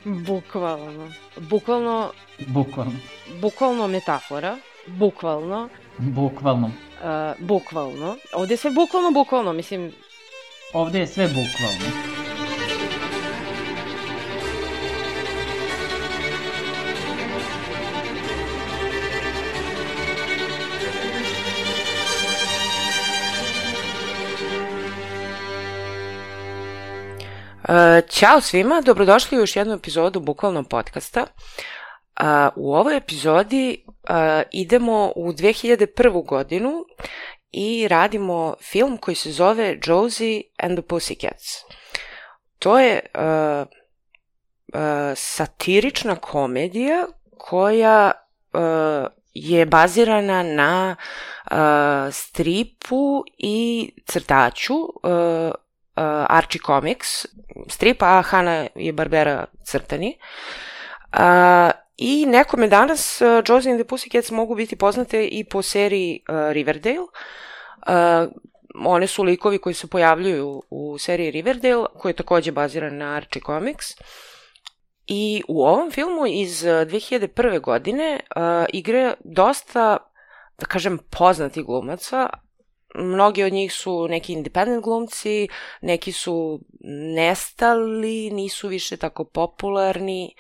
Bukvalno. Bukvalno metafora. Bukvalno. Ovdje je sve bukvalno, mislim... Ovdje je sve bukvalno. Ćao svima, dobrodošli u još jednu epizodu Bukvalnog podcasta. U ovoj epizodi idemo u 2001. godinu i radimo film koji se zove Josie and the Pussycats. To je satirična komedija koja je bazirana na stripu i crtaču Archie Comics strip, a Hanna-Barbera crtani. I nekome danas Josie and the Pussycats mogu biti poznate i po seriji Riverdale. One su likovi koji se pojavljuju u seriji Riverdale, koji je također baziran na Archie Comics. I u ovom filmu iz 2001. godine igra dosta, da kažem, poznatih glumaca. Mnogi od njih su neki independent glumci, neki su nestali, nisu više tako popularni.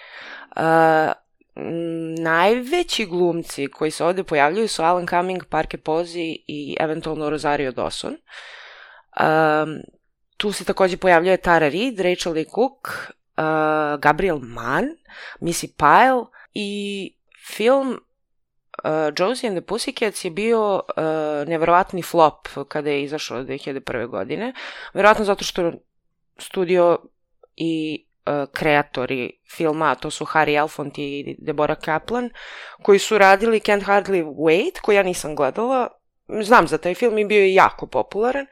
Najveći glumci koji se ovdje pojavljuju su Alan Cumming, Parker Posey i eventualno Rosario Dawson. Tu se također pojavljuje Tara Reid, Rachel Lee Cook, Gabriel Mann, Missy Pyle i film Josie and the Pussycats je bio nevjerovatni flop kada je izašao 2001. godine. Vjerojatno zato što studio i kreatori filma, a to su Harry Elfont i Deborah Kaplan, koji su radili Can't Hardly Wait, koji ja nisam gledala. Znam za taj film i bio je jako popularan.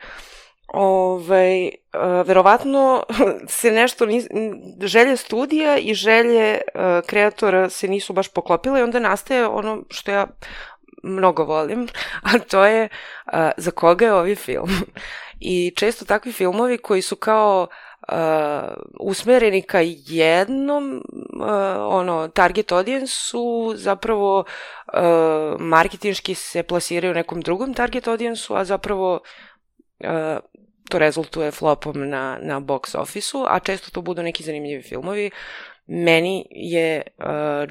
Verovatno se nešto želje studija i želje kreatora se nisu baš poklopile i onda nastaje ono što ja mnogo volim, a to je za koga je ovaj film. I često takvi filmovi koji su kao usmereni ka jednom target audience-u zapravo marketinški se plasiraju nekom drugom target audience-u, a zapravo to rezultuje flopom na box office-u, a često to budu neki zanimljivi filmovi. Meni je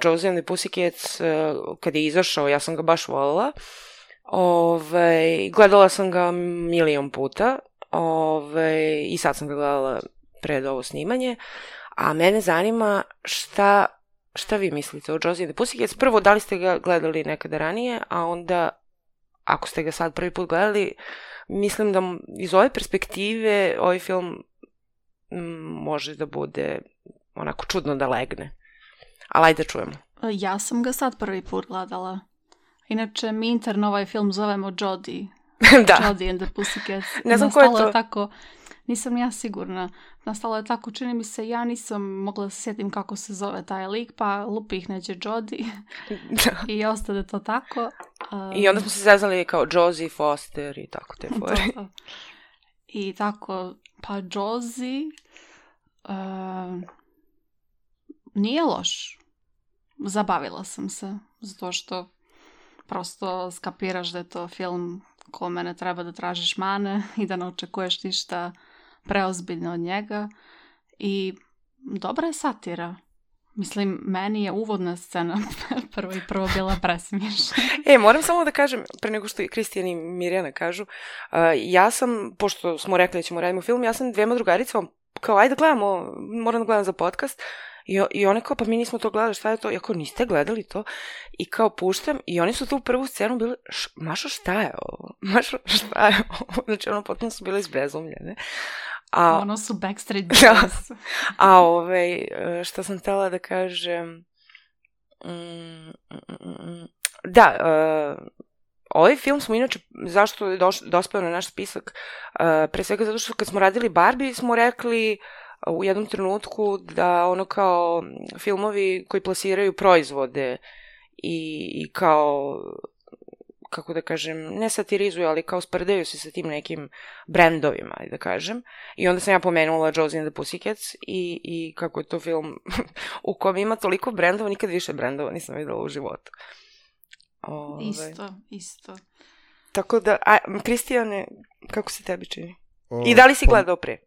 Josie and the Pussycats, kad je izašao, ja sam ga baš volila. Gledala sam ga milion puta i sad sam ga gledala pred ovo snimanje. A mene zanima šta vi mislite o Josie and the Pussycats. Prvo, da li ste ga gledali nekada ranije, a onda, ako ste ga sad prvi put gledali, mislim da iz ove perspektive ovaj film može da bude onako čudno da legne. Ali ajde čujemo. Ja sam ga sad prvi put gledala. Inače, mi interno ovaj film zovemo Jodie. Da. Jodie and the Pussycats. Ne znam ko je to. Tako, nisam ja sigurna. Nastalo je tako, čini mi se, ja nisam mogla da se sjetim kako se zove taj lik, pa lupih neđe Jodie. I ostade to tako. I onda smo se zezali kao Josie Foster i tako te fore. I tako, pa Josie nije loš. Zabavila sam se, zato što prosto skapiraš da je to film kome ne treba da tražiš mane i da ne očekuješ ništa preozbiljno od njega. I dobra je satira. Mislim, meni je uvodna scena prvo bila presmiješna. Moram samo da kažem, pre nego što i Kristijan i Mirjana kažu, ja sam, pošto smo rekli da ćemo radimo film, ja sam dvema drugaricama kao, ajde gledamo, moram da gledam za podcast. I one kao, pa mi nismo to gledali, šta je to? Ja kao, niste gledali to? I kao puštam, i oni su tu prvu scenu bili, Mašo, šta je ovo? Znači, ono, potpuno su bile izbezumljene. Ono su Backstreet Boys. Šta sam htjela da kažem... Da, ovaj film smo inače, zašto je dospeo na naš spisak, pre svega zato što kad smo radili Barbie smo rekli u jednom trenutku da ono kao filmovi koji plasiraju proizvode i kao kako da kažem, ne satirizuju, ali kao sprdaju se sa tim nekim brendovima, da kažem. I onda sam ja pomenula Josie and the Pussycats i kako je to film u kom ima toliko brendova, nikad više brendova nisam videla u životu. Isto. Tako da, Kristijane, kako se tebi čini? I da li si gledao pre?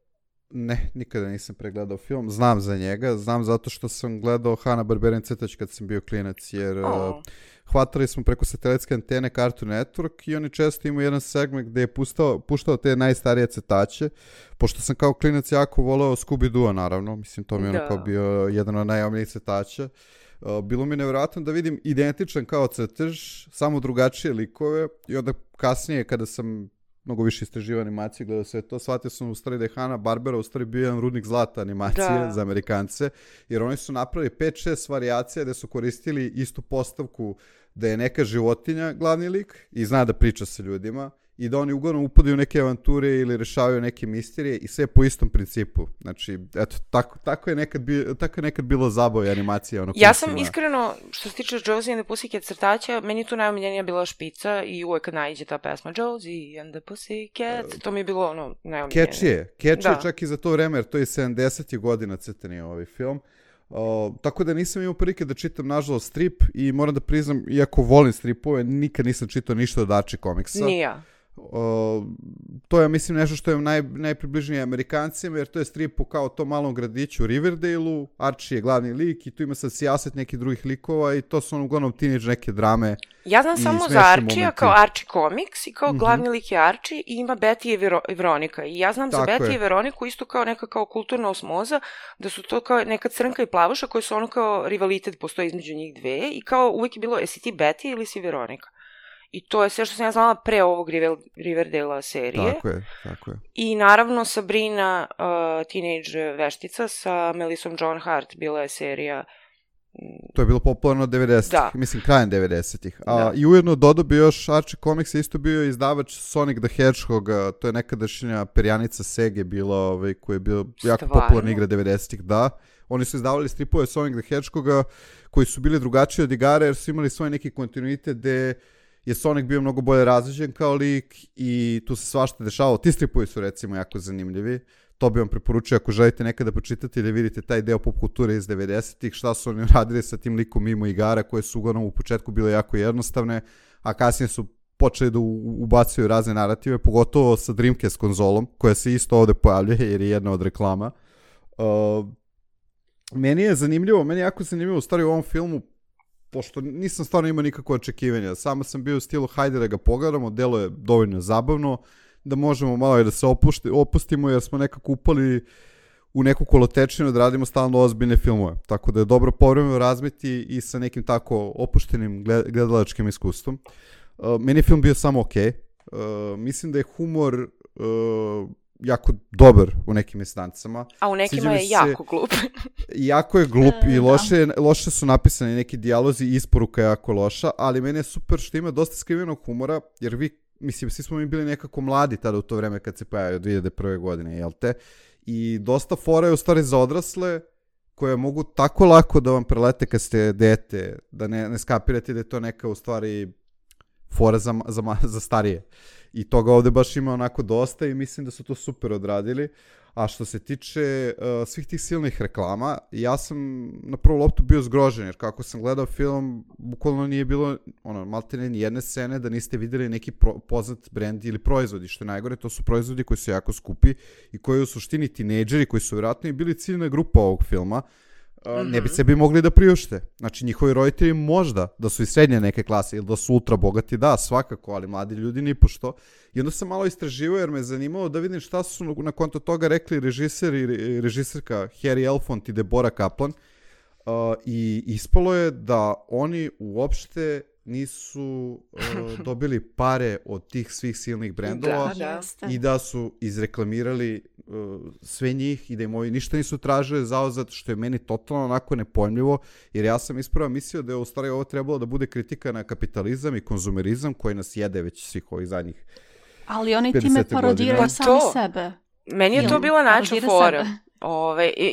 Ne, nikada nisam pregledao film. Znam za njega, znam zato što sam gledao Hanna-Barbera crtač kad sam bio klinac, jer hvatali smo preko satelitske antene Cartoon Network i oni često imaju jedan segment gde je puštao te najstarije crtače, pošto sam kao klinac jako voleo Scooby-Doo, naravno, mislim, to mi je ono kao bio jedan od najomiljnijih crtača. Bilo mi nevjerojatno da vidim identičan kao crtež, samo drugačije likove i onda kasnije kada sam mnogo više istraživa animacije, gledao sve to, shvatio sam u stvari da je Hanna-Barbera u stvari bio jedan rudnik zlata animacije za Amerikance, jer oni su napravili 5-6 varijacija gde su koristili istu postavku da je neka životinja glavni lik i zna da priča sa ljudima i da oni uglavnom upadaju u neke avanture ili rešavaju neke misterije i sve po istom principu. Znači, eto, tako je nekad bilo zabavlja animacija. Ja sam iskreno, što se tiče Josie and the Pussycats crtača, meni je tu najomiljenija bila Špica i uvek kad naiđe ta pesma Josie and the Pussycats, to mi je bilo ono najomiljenije. Catchy je čak i za to vreme, jer to je 70. godina crtani ovaj film. Tako da nisam imao prilike da čitam nažalost strip i moram da priznam, iako volim stripove, nikad nisam čitao ništa od Archie komiksa. Nija. To je, mislim, nešto što je najpribližnije Amerikancima, jer to je strip po kao tom malom gradiću Riverdale-u, Archie je glavni lik i tu ima sad sijaset nekih drugih likova i to su uglavnom teenage neke drame. Ja znam samo za Archie-a kao Archie Comics i kao glavni lik je Archie i ima Betty i Veronika. I ja znam za Betty i Veroniku isto kao neka kao kulturna osmoza, da su to kao neka crnka i plavuša koje su ono kao rivalitet postoji između njih dve i kao uvijek je bilo, jesi ti Betty ili si Veronika? I to je sve što sam ja znala pre ovog Riverdale-a serije. Tako je. I naravno Sabrina, teenage veštica sa Melissom Joan Hart, bila je serija. To je bilo popularno 90-ih, mislim krajem 90-ih. I ujedno dodao bi još Archie Comics, isto bio izdavač Sonic the Hedgehog, to je nekadašnja perjanica Sege bila, koja je bila jako popularna igra 90-ih, da. Oni su izdavali stripove Sonic the Hedgehoga koji su bili drugačiji od igara jer su imali svoj neki kontinuitet gde je Sonic bio mnogo bolje razređen kao lik i tu se svašta dešavalo. Ti stripovi su recimo jako zanimljivi. To bi vam preporučio ako želite nekada počitati ili vidite taj deo pop kulture iz 90-ih, šta su oni radili sa tim likom mimo igara koje su uglavnom u početku bile jako jednostavne, a kasnije su počeli da ubacuju razne narative, pogotovo sa Dreamcast konzolom, koja se isto ovde pojavljuje jer je jedna od reklama. Meni je jako zanimljivo u stvari u ovom filmu, pošto nisam stvarno imao nikakve očekivanja. Samo sam bio u stilu hajde da ga pogledamo, delo je dovoljno zabavno, da možemo malo i da se opustimo jer smo nekako upali u neku kolotečinu da radimo stalno ozbiljne filmove. Tako da je dobro povremeno razmeti i sa nekim tako opuštenim gledalačkim iskustvom. Meni je film bio samo okej. Mislim da je humor jako dobar u nekim instancama. A u nekima je jako glup. Jako je glup i loše su napisani neki dijalozi i isporuka je jako loša, ali meni je super što ima dosta skrivenog humora, jer svi smo mi bili nekako mladi tada u to vreme kad se pojavio 2001. godine, jel te? I dosta fora je u stvari za odrasle koje mogu tako lako da vam prelete kad ste dete, da ne skapirate da je to neka u stvari fora za starije. I toga ovde baš ima onako dosta i mislim da su to super odradili. A što se tiče svih tih silnih reklama, ja sam na prvu loptu bio zgrožen, jer kako sam gledao film, bukvalno nije bilo maltene ni jedne scene da niste videli neki poznat brend ili proizvodi, što je najgore, to su proizvodi koji su jako skupi i koji u suštini tinejdžeri koji su vjerojatno i bili ciljna grupa ovog filma, ne bi sebi mogli da priušte. Znači, njihovi roditelji možda da su iz srednje neke klase ili da su ultra bogati, da, svakako, ali mladi ljudi nipošto. I onda sam malo istraživao jer me zanimalo da vidim šta su na konto toga rekli režiser i režiserka Harry Elfont i Deborah Kaplan. I ispalo je da oni uopšte nisu dobili pare od tih svih silnih brendova i da su izreklamirali sve njih i da im ovi ništa nisu tražili zauzat, što je meni totalno onako nepojmljivo, jer ja sam ispravo mislio da je u stvari ovo trebalo da bude kritika na kapitalizam i konzumerizam koji nas jede već svih ovih zadnjih 50 godina. Ali oni time parodiraju sami sebe. Meni je to bila način fora.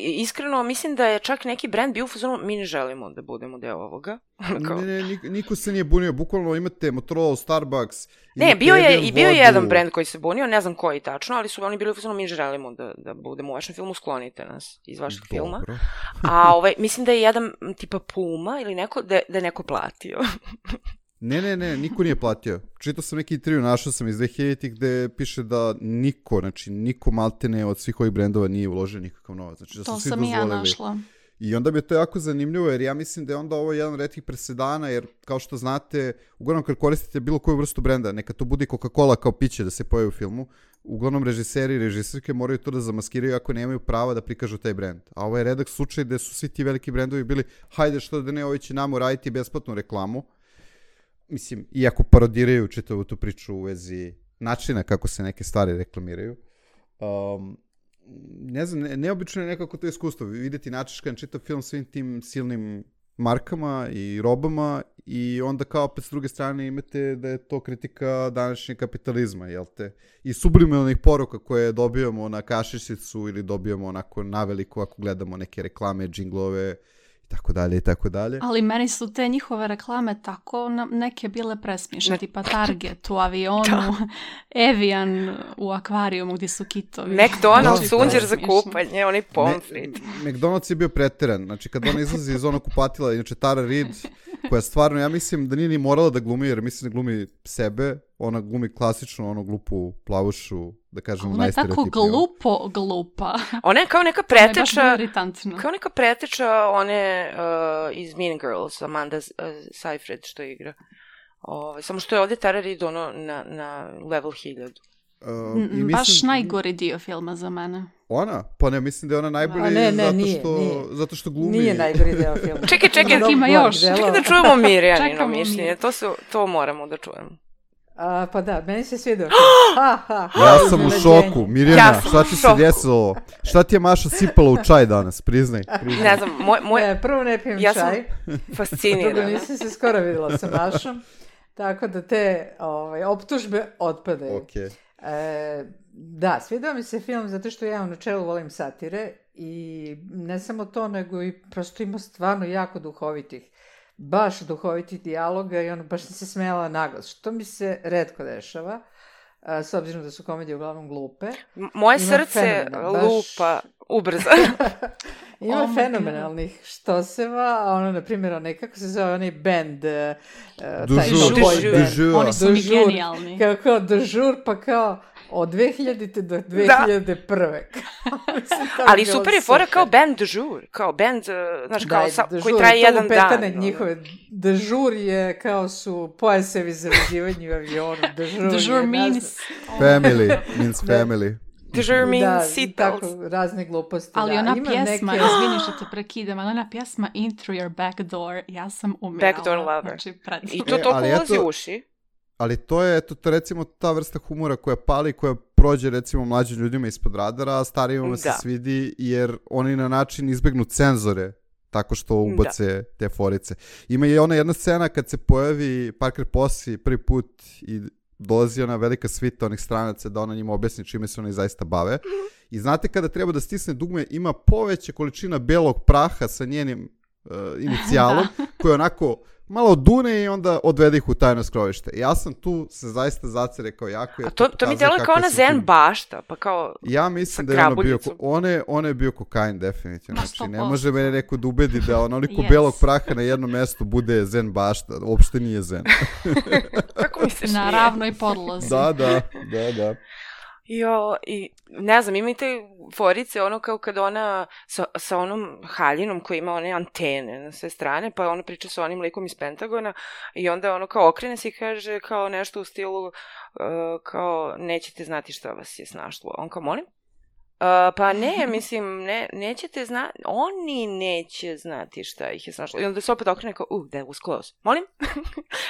Iskreno, mislim da je čak neki brand bio u fazonu, mi ne želimo da budemo deo ovoga. Niko se nije bunio, bukvalno imate Motorola, Starbucks. Ne, bio je jedan brand koji se bunio, ne znam koji tačno, ali su oni bili u fazonu, mi ne želimo da budemo u vašem filmu, sklonite nas iz vašeg filma. A mislim da je jedan tipa Puma ili neko, da je neko platio. Ne, niko nije platio. Čitao sam neki intervju, našao sam iz 2000-ih gde piše da niko maltene od svih ovih brendova nije uložio nikakav novac. Znači, da su to svi sam i ja dozvolili. našla. I onda mi je to jako zanimljivo, jer ja mislim da je onda ovo jedan retkih presedana, jer kao što znate, uglavnom kad koristite bilo koju vrstu brenda, neka to bude Coca-Cola kao piće da se pojavi u filmu, uglavnom režiseri i režisirke moraju to da zamaskiraju ako nemaju prava da prikažu taj brend. A ovo je redak slučaj gde su svi ti veliki brendovi bili, hajde što da ne, ovi će nam uraditi besplatnu reklamu. Mislim, iako parodiraju čitavu tu priču u vezi načina kako se neke stvari reklamiraju. Ne znam, neobično je nekako to iskustvo. Videti načiškan čitav film svim tim silnim markama i robama i onda kao opet s druge strane imate da je to kritika današnjeg kapitalizma, jel te? I subliminalnih poruka koje dobijamo na kašičicu ili dobijamo onako naveliko ako gledamo neke reklame, džinglove i tako dalje. Ali meni su te njihove reklame tako neke bile presmišne, tipa Target u avionu, Evian u akvarijumu gdje su kitovi. McDonald's, sunđer za kupanje, onaj pomfrit. McDonald's je bio pretiran, znači kad ona izlazi iz onog kupatila, inače Tara Reid, koja stvarno, ja mislim da nije ni morala da glumi, jer mislim da glumi sebe, ona glumi klasično onu glupu plavušu, da kažem najstereotipniju. Ona je tako glupa. Ona je kao neka preteča, ona je baš iritantna. Kao neka preteča one iz Mean Girls, Amanda Seyfried što igra. Samo što je ovdje Tara Reid ono na level 1000. Baš najgori dio filma za mene. Ona? Pa ne, mislim da je ona najbolji zato što glumi. Nije najgori deo filma. Čekaj, ima još. Čekaj da čujemo Mirjanino mišljenje. To moramo da čujemo. Pa da, meni se svidio. Ja sam u šoku. Mirjana, šta ti se desilo? Šta ti je Maša sipala u čaj danas? Priznaj. Ne znam, prvo ne pijem ja čaj. Ja sam fascinirana. Drugo, nisam se skoro vidjela sa Mašom. Tako da te optužbe otpadaju. Okay. Da, svidio mi se film zato što ja u načelu volim satire i ne samo to, nego i prosto ima stvarno jako duhovitih dijaloga i ono baš sam se smijala naglas, što mi se retko dešava, s obzirom da su komedije uglavnom glupe. Moje srce lupa ubrzo. Ima fenomenalnih štoseva, ono, na primjer, kako se zove onaj band, taj Dužur. Oni su mi genijalni. Kao Dužur, pa kao od 2000. do 2001. Ali super je fora kao band Dužur, kao band, znaš, kao koji traje jedan dan. Njihove Dužur je kao su pojasevi za veživanje u avionu. Dužur means family. Dužur means seatbelts. Tako, razne gluposti. Ali ona pjesma, izvini što te prekidam, ali ona pjesma In Through Your Back Door, ja sam umirala. Backdoor Lover. Znači, i to ulazi u uši. Ali to je recimo ta vrsta humora koja pali, koja prođe recimo mlađim ljudima ispod radara, a starijima se svidi jer oni na način izbegnu cenzore tako što ubace te forice. Ima i ona jedna scena kad se pojavi Parker Posey prvi put i dolazi ona velika svita onih stranaca da ona njima objasni čime se oni zaista bave. I znate kada treba da stisne dugme, ima poveća količina belog praha sa njenim inicijalom, koji onako malo dune i onda odvede ih u tajno skrovište. Ja sam tu se zaista zacere kao jako. A to mi deluje kao na zen bašta, pa kao ja mislim da je ono bio, on je bio kokain definitivno. Znači, ne može mene neko da ubedi da onoliko belog praha na jednom mestu bude zen bašta. Uopšte nije zen. Kako misliš? Na ravnoj podlozi. Da. Jo, i ne znam, ima i te forice, ono kao kad ona sa onom haljinom koja ima one antene na sve strane, pa ona priča sa onim likom iz Pentagona i onda ono kao okrene se i kaže kao nešto u stilu kao nećete znati šta vas je snašlo. On kao, molim? Pa ne, mislim, nećete znati, oni neće znati šta ih je snašlo. I onda se opet okrene kao, that was close. Molim?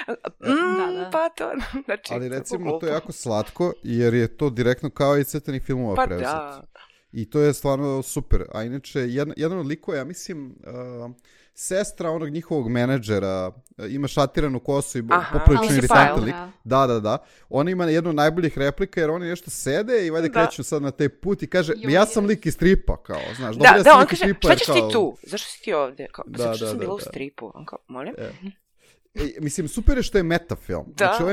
Da. Pa to, znači... Ali recimo to je jako slatko, jer je to direktno kao i crtanih filmova pa preuzet. Da. I to je stvarno super. A inače, jedan od likova, ja mislim, sestra onog njihovog menadžera, ima šatiranu kosu i poprilično iritantan lik. Da. Ona ima jednu od najboljih replika, jer oni nešto sede i valjda kreću sad na taj put i kaže, ja sam lik iz stripa, kao, znaš. Da, on kaže, šta ćeš ti tu? Zašto si ti ovdje? Zato što sam bila u stripu. On kao, molim? Mislim, super je što je meta film. Znači,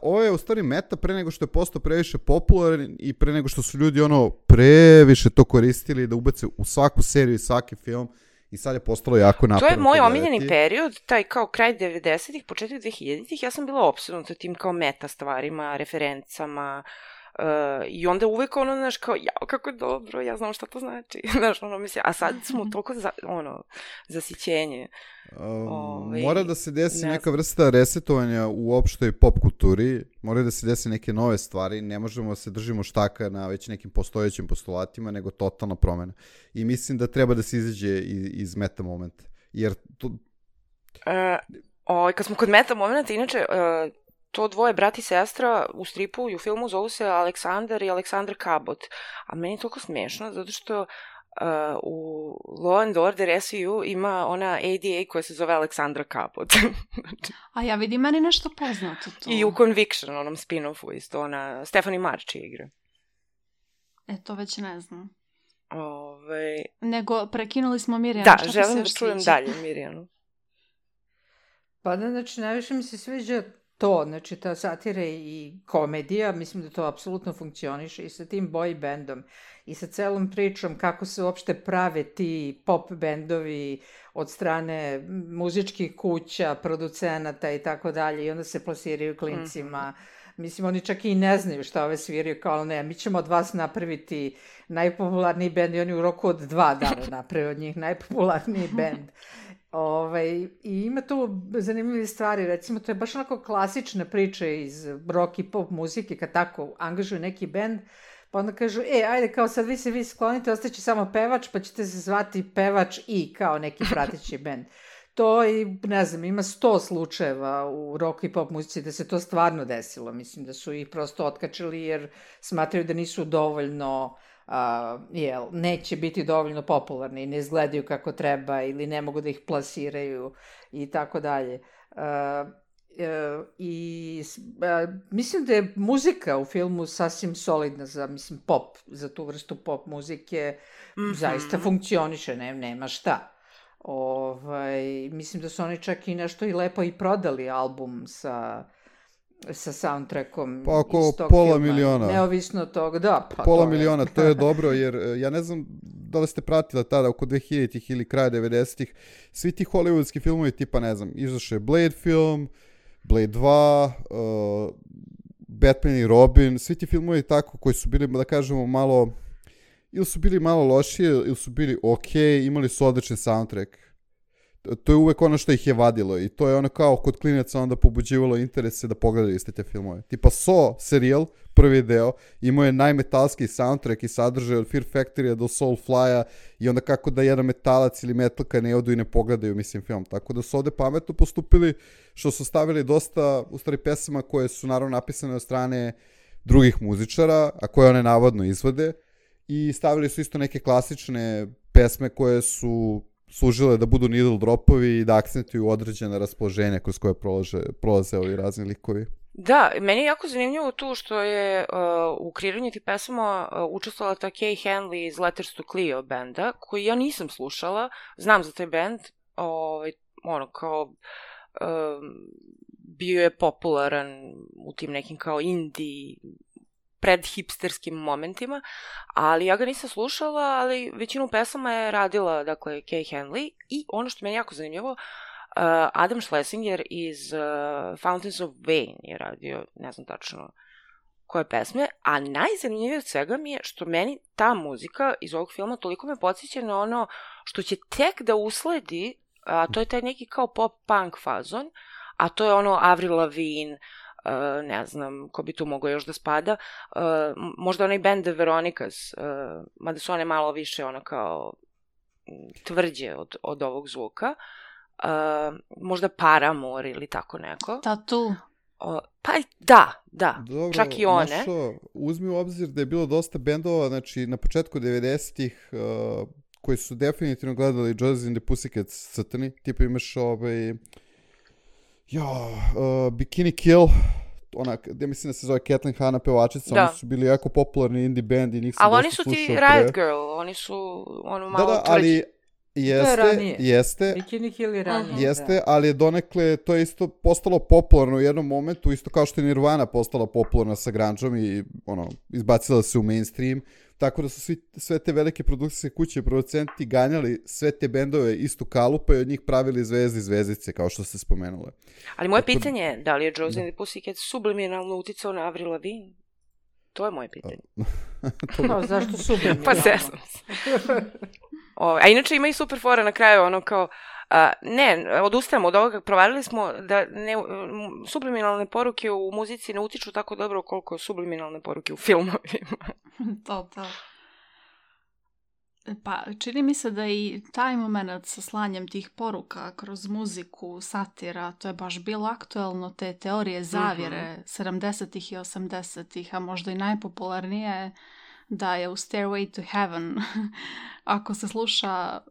ovo je u stvari meta pre nego što je postao previše popularan i pre nego što su ljudi previše to koristili da ubace u svaku seriju i svaki film i sad je postalo jako naporno. To je moj omiljeni period, taj kao kraj 90-ih, početak 2000-ih, ja sam bila opsednuta tim kao meta stvarima, referencama, i onda uvek znaš, kao, jao, kako je dobro, ja znam šta to znači, znaš, mislim, a sad smo toliko, zasićenje. Mora da se desi neka vrsta resetovanja u opštoj pop kulturi, mora da se desi neke nove stvari, ne možemo da se držimo štaka na već nekim postojećim postulatima, nego totalna promena. I mislim da treba da se izađe iz meta momenta, jer to... Kad smo kod meta momenta, inače, to dvoje brat i sestra u stripu i u filmu zovu se Aleksandar i Aleksandra Cabot. A meni je toliko smiješno, zato što u Law and Order SVU ima ona ADA koja se zove Aleksandra Cabot. A ja vidim, meni nešto poznato to. I u Conviction, onom spin-offu isto, ona Stephanie Marchi igra. To već ne znam. Nego, prekinuli smo Mirjanu. Da, želim da čujem dalje Mirjanu. Pa da, znači, najviše mi se sviđa to, znači ta satira i komedija, mislim da to apsolutno funkcioniše i sa tim boy bandom i sa celom pričom kako se uopšte prave ti pop bendovi od strane muzičkih kuća, producenata i tako dalje i onda se plasiraju klincima. Mislim, oni čak i ne znaju šta ove sviraju, kao ne, mi ćemo od vas napraviti najpopularniji bend i oni u roku od 2 dana naprave od njih najpopularniji bend. I ima tu zanimljive stvari, recimo to je baš onako klasična priča iz rock i pop muzike, kad tako angažuju neki bend, pa onda kažu, ajde kao sad vi se sklonite, ostaće samo pevač, pa ćete se zvati pevač i kao neki prateći bend. To i, ne znam, ima 100 slučajeva u rock i pop muzici da se to stvarno desilo, mislim da su ih prosto otkačili jer smatraju da nisu dovoljno... neće biti dovoljno popularni, ne izgledaju kako treba ili ne mogu da ih plasiraju i tako dalje. Mislim da je muzika u filmu sasvim solidna za, mislim, pop, za tu vrstu pop muzike, zaista funkcioniše, nema šta. Mislim da su oni čak i nešto i lepo i prodali album sa soundtrackom pa oko iz tog pola filma. Miliona. Neovisno od toga, da. Pa pola miliona, to je dobro, jer ja ne znam da li ste pratili tada oko 2000-ih ili kraja 90-ih, svi ti hollywoodski filmovi tipa, ne znam, izašao je Blade film, Blade 2, Batman i Robin, svi ti filmovi tako koji su bili, da kažemo, malo, ili su bili malo lošije, ili su bili okej, imali su odličan soundtrack. To je uvek ono što ih je vadilo i to je ono kao kod klinaca onda pobuđivalo interese da pogledaju iste te filmove. Tipa Saw serijal, prvi deo, imao je najmetalski soundtrack i sadržaj od Fear Factory-a do Soulfly-a i onda kako da jedan metalac ili metalka ne odu i ne pogledaju, mislim, film. Tako da su ovde pametno postupili što su stavili dosta, u stvari, pesama koje su naravno napisane od strane drugih muzičara, a koje one navodno izvode, i stavili su isto neke klasične pesme koje su služile da budu needle dropovi i da akcentuju određena raspoloženja kroz koje prolaze ovi razni likovi. Da, meni je jako zanimljivo tu što je u kreiranju tih pesama učestvovala ta Kay Hanley iz Letters to Cleo benda, koji ja nisam slušala, znam za taj bend, kao bio je popularan u tim nekim kao indie predhipsterskim momentima, ali ja ga nisam slušala, ali većinu pesama je radila, dakle, Kay Hanley, i ono što meni je jako zanimljivo, Adam Schlesinger iz Fountains of Wayne je radio, ne znam tačno koje pesme, a najzanimljivije od svega mi je što meni ta muzika iz ovog filma toliko me podsjeća na ono što će tek da usledi, a to je taj neki kao pop-punk fazon, a to je ono Avril Lavigne, ne znam ko bi tu mogao još da spada, možda onaj band The Veronicas, mada su one malo više ono kao tvrđe od ovog zvuka, možda Paramore ili tako neko. Tattoo. Pa da, Dobro, čak i one. Našo, uzmi u obzir da je bilo dosta bendova, znači na početku 90-ih koji su definitivno gledali Josie and the Pussycats crtani, tipa imaš Bikini Kill, ona, gde mislim da se zove Kathleen Hanna pevačica, oni su bili jako popularni indie band i njih sam ali dosta slušao. Ali oni su ti Riot Girl, oni su ono malo tvrđi. Ali jeste. Bikini Kill je ranije. Jeste, ali je donekle, to je isto postalo popularno u jednom momentu, isto kao što je Nirvana postala popularna sa grungeom i izbacila se u mainstream, tako da su sve te velike produkcijske kuće i producenti ganjali sve te bendove istu kalupa i od njih pravili zvezdice, kao što ste spomenule. Ali moje pitanje je, da li je Josie and the Pussycats subliminalno uticao na Avril Lavigne? To je moje pitanje. Zašto subliminalno? Pa sesam se. A inače ima i super fora na kraju, ono kao, odustajemo od ovoga, provalili smo da subliminalne poruke u muzici ne utiču tako dobro koliko subliminalne poruke u filmovima. To. Pa, čini mi se da i taj moment sa slanjem tih poruka kroz muziku, satira, to je baš bilo aktuelno, te teorije zavjere 70-ih i 80-ih, a možda i najpopularnije da je u Stairway to Heaven, ako se sluša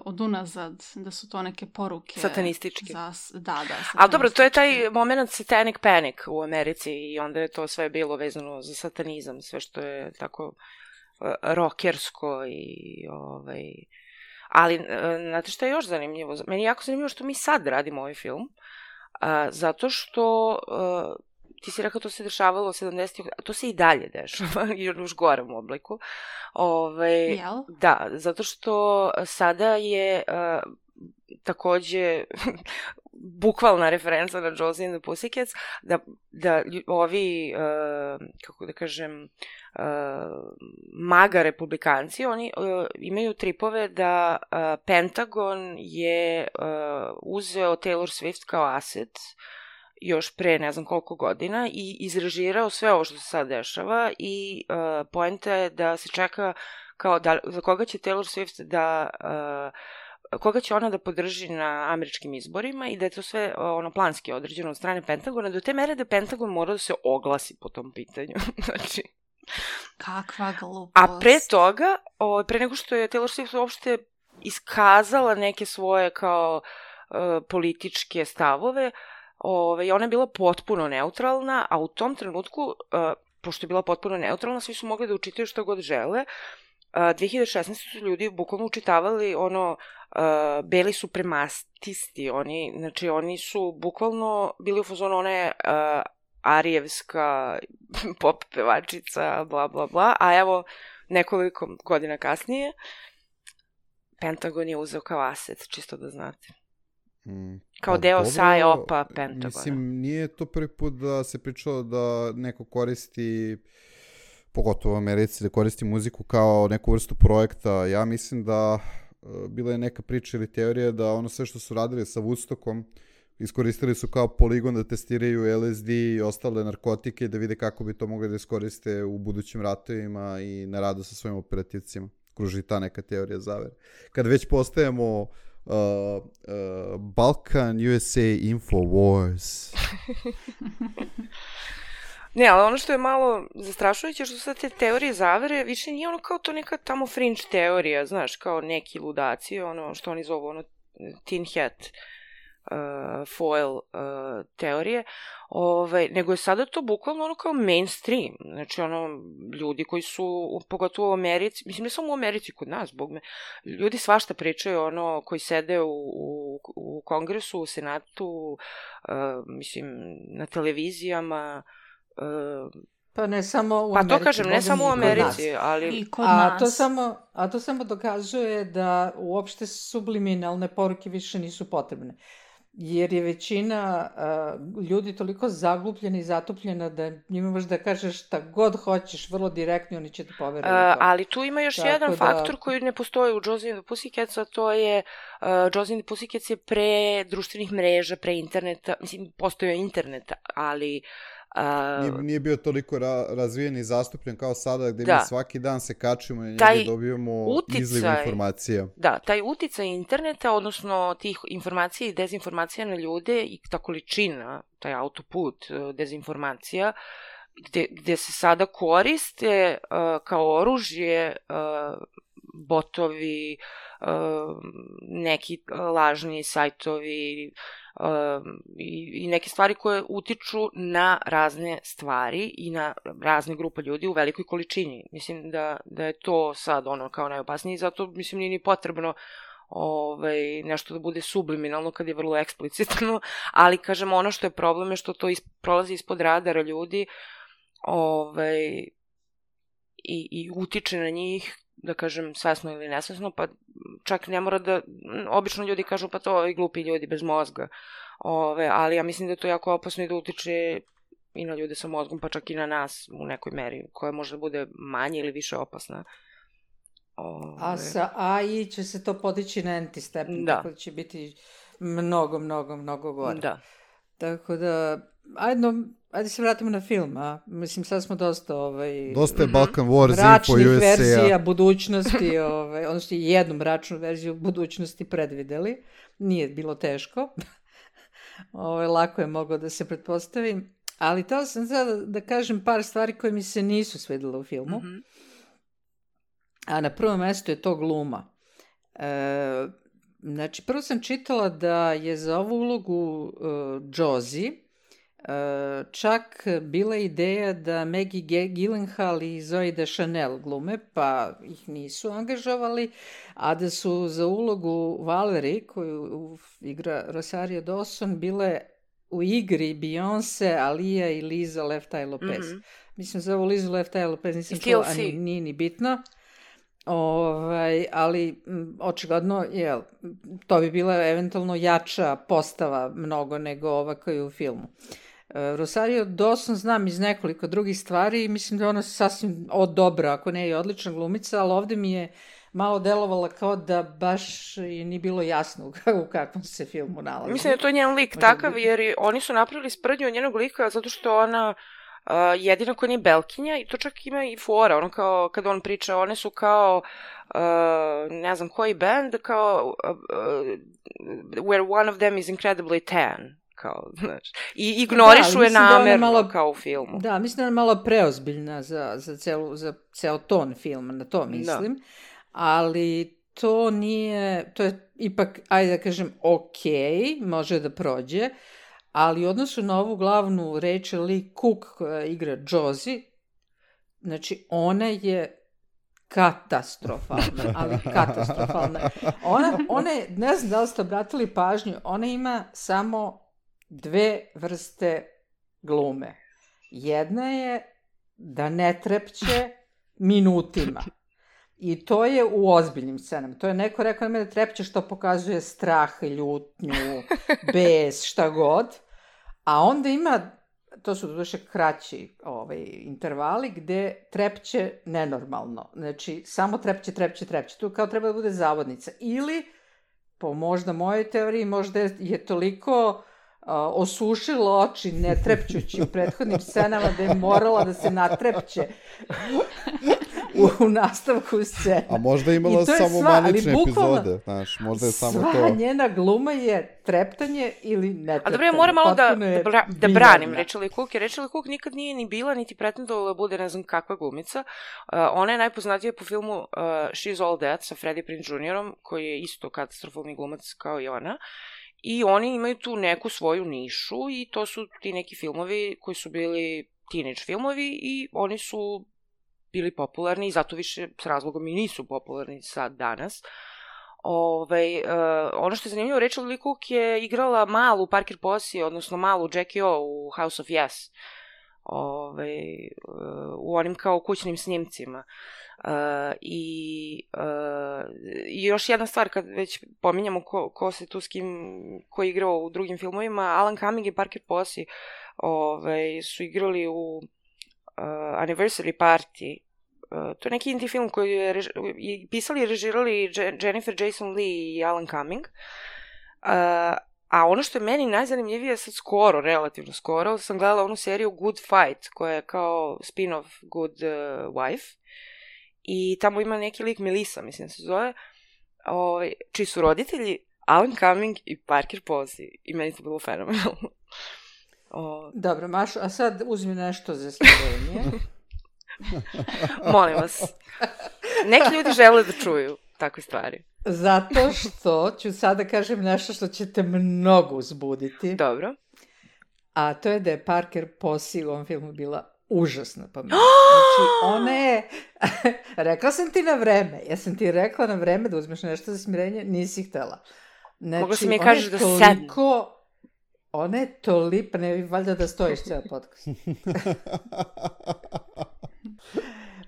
od unazad, da su to neke poruke satanističke. Da. Ali dobro, to je taj moment Satanic Panic u Americi i onda je to sve bilo vezano za satanizam, sve što je tako rockersko i ali znate što je još zanimljivo? Meni je jako zanimljivo što mi sad radimo ovaj film, zato što ti si rekao to se dešavalo 70-ih, to se i dalje dešava, i u još gorem obliku. Da, zato što sada je takođe bukvalna referenca na Josie and the Pussycats, da ovi, kako da kažem, maga republikanci, oni imaju tripove da Pentagon je uzeo Taylor Swift kao aset još pre ne znam koliko godina i izrežirao sve ovo što se sad dešava i poenta je da se čeka kao za koga će Taylor Swift koga će ona da podrži na američkim izborima i da je to sve planski određeno od strane Pentagona, do te mere da Pentagon mora da se oglasi po tom pitanju. Znači, kakva glupost. A pre toga, pre nego što je Taylor Swift uopšte iskazala neke svoje kao političke stavove, ona je bila potpuno neutralna, a u tom trenutku, pošto je bila potpuno neutralna, svi su mogli da učitaju što god žele. 2016. su ljudi bukvalno učitavali beli suprematisti, oni su bukvalno bili u fazonu, ona je arijevska pop pevačica, bla bla bla, a evo nekoliko godina kasnije Pentagon je uzeo kao aset, čisto da znate. Kao deo PSYOP-a Pentagona. Mislim, nije to prvi put da se pričalo da neko koristi, pogotovo u Americi, da koristi muziku kao neku vrstu projekta. Ja mislim da bila je neka priča ili teorija da ono sve što su radili sa Woodstockom iskoristili su kao poligon da testiraju LSD i ostale narkotike da vide kako bi to mogli da iskoriste u budućim ratovima i na radu sa svojim operativcima. Kruži ta neka teorija zavere. Kad već postajemo Balkan USA Infowars. Ne, ali ono što je malo zastrašujuće što sad te teorije zavere više nije ono kao to neka tamo fringe teorija, znaš, kao neki ludaci, ono što oni zovu tin hat foil teorije, nego je sada to bukvalno ono kao mainstream, znači ljudi koji su, pogotovo u Americi, mislim ne samo u Americi, kod nas, bog me, ljudi svašta pričaju, koji sede u kongresu, u senatu, mislim, na televizijama, pa ne samo u Americi. Pa to kažem, ne samo u Americi, ali i kod nas. A to samo dokazuje da uopšte subliminalne poruke više nisu potrebne. Jer je većina ljudi toliko zaglupljena i zatupljena da njima možeš da kažeš šta god hoćeš, vrlo direktno, oni će te poverovati. Ali tu ima još jedan faktor koji ne postoji u Josie and the Pussycats, a to je Josie and the Pussycats je pre društvenih mreža, pre interneta, mislim, postoji internet, ali Nije bio toliko razvijen i zastupljen kao sada, gde mi svaki dan se kačimo i njega dobijemo izliv informacija. Da, taj uticaj interneta, odnosno tih informacija i dezinformacija na ljude i ta količina, taj autoput dezinformacija, gde se sada koriste kao oružje botovi, neki lažni sajtovi i neke stvari koje utiču na razne stvari i na razne grupe ljudi u velikoj količini. Mislim da je to sad kao najopasnije, zato mislim nije ni potrebno nešto da bude subliminalno kad je vrlo eksplicitno, ali kažem ono što je problem je što to prolazi ispod radara ljudi i utiče na njih, da kažem, svesno ili nesvesno, pa čak ne mora da, obično ljudi kažu pa to i glupi ljudi bez mozga, ali ja mislim da je to jako opasno i da utiče i na ljude sa mozgom, pa čak i na nas u nekoj meri, koja može da bude manje ili više opasna. A sa AI će se to podići na enti stepen, tako da će biti mnogo gore. Da. Tako da, ajde se vratimo na film, a? Mislim, sad smo dosta dosta je Balkan Wars, mračnih verzija budućnosti, odnosno jednu mračnu verziju budućnosti predvideli. Nije bilo teško. Lako je moglo da se pretpostavi. Ali to sam sad da kažem par stvari koje mi se nisu svidjela u filmu. A na prvom mestu je to gluma. Znači, prvo sam čitala da je za ovu ulogu Josie čak bila ideja da Maggie Gyllenhaal i Zooey Deschanel glume, pa ih nisu angažovali, a da su za ulogu Valerie, koju igra Rosario Dawson, bile u igri Beyoncé, Aaliyah i Liza Left Eye Lopez. Mislim, za ovu Lizu Left Eye Lopez nisam čula, a nije ni bitno. Ali očigledno to bi bila eventualno jača postava mnogo nego ova koja je u filmu. Rosario Dawson znam iz nekoliko drugih stvari i mislim da je ona sasvim dobra, ako ne i odlična glumica, ali ovde mi je malo delovala kao da baš i nije bilo jasno u kakvom se filmu nalazi. Mislim da je to njen lik takav, jer oni su napravili sprdnju od njenog lika zato što ona jedina koja nije belkinja i to čak ima i fora, ono kao kada on priča, one su kao ne znam koji band, kao where one of them is incredibly tan, kao, znači, i ignorišu je namerno kao u filmu. Da, mislim da je malo preozbiljna za ceo ton filma, na to mislim, ali to nije, to je ipak, ajde da kažem, okej, može da prođe, ali u odnosu na ovu glavnu Rachel Lee Cook koja igra Josie, znači ona je katastrofalna, ali katastrofalna. Ona je, ne znam da li ste obratili pažnju, ona ima samo dve vrste glume. Jedna je da ne trepće minutima. I to je u ozbiljnim scenama. To je neko rekao da trepće što pokazuje strah, ljutnju, bes, šta god. A onda ima, to su doduše kraći intervali, gde trepće nenormalno. Znači, samo trepće. Tu kao treba da bude zavodnica. Ili, po možda mojoj teoriji, možda je toliko osušilo oči ne trepćući u prethodnim scenama da je morala da se natrepće u nastavku scene. A možda je imala samo manične epizode, znaš, možda je samo to. Sva njena gluma je treptanje ili netreptanje. A dobro, ja moram malo da branim Rachel Lee Cook, jer Rachel Lee Cook nikad nije ni bila, niti pretendovala da bude ne znam kakva glumica. Ona je najpoznatija po filmu She's All That sa Freddie Prinze Jr. koji je isto katastrofalni glumac kao i ona. I oni imaju tu neku svoju nišu i to su ti neki filmovi koji su bili teenage filmovi i oni su bili popularni i zato više s razlogom i nisu popularni sad danas. Ono što je zanimljivo, Rachel Lee Cook je igrala malu Parker Posey, odnosno malu Jackie O u House of Yes. U onim kao kućnim snimcima. I još jedna stvar, kad već pominjamo ko se tu s kim, ko je igrao u drugim filmovima, Alan Cumming i Parker Posey su igrali u Anniversary Party. To je neki indie film koji je pisali i režirali Jennifer Jason Leigh i Alan Cumming. A ono što je meni najzanimljivije sad skoro, relativno skoro, sam gledala onu seriju Good Fight, koja je kao spin-off Good Wife. I tamo ima neki lik Melissa, mislim se zove, čiji su roditelji Alan Cumming i Parker Posey. I meni to bilo fenomenalno. Dobro, Mašo, a sad uzmi nešto za smirenje. Molim vas. Neki ljudi žele da čuju takve stvari. Zato što ću sada kažem nešto što će te mnogo uzbuditi. Dobro. A to je da je Parker Posey u ovom filmu bila užasna pamet. Znači, ona je... Rekla sam ti na vreme. Ja sam ti rekla na vreme da uzmeš nešto za smirenje, nisi htela. Znači, mogu se mi kažeš da sedem. Ona je toliko... Ne, valjda da stojiš cijel podcast.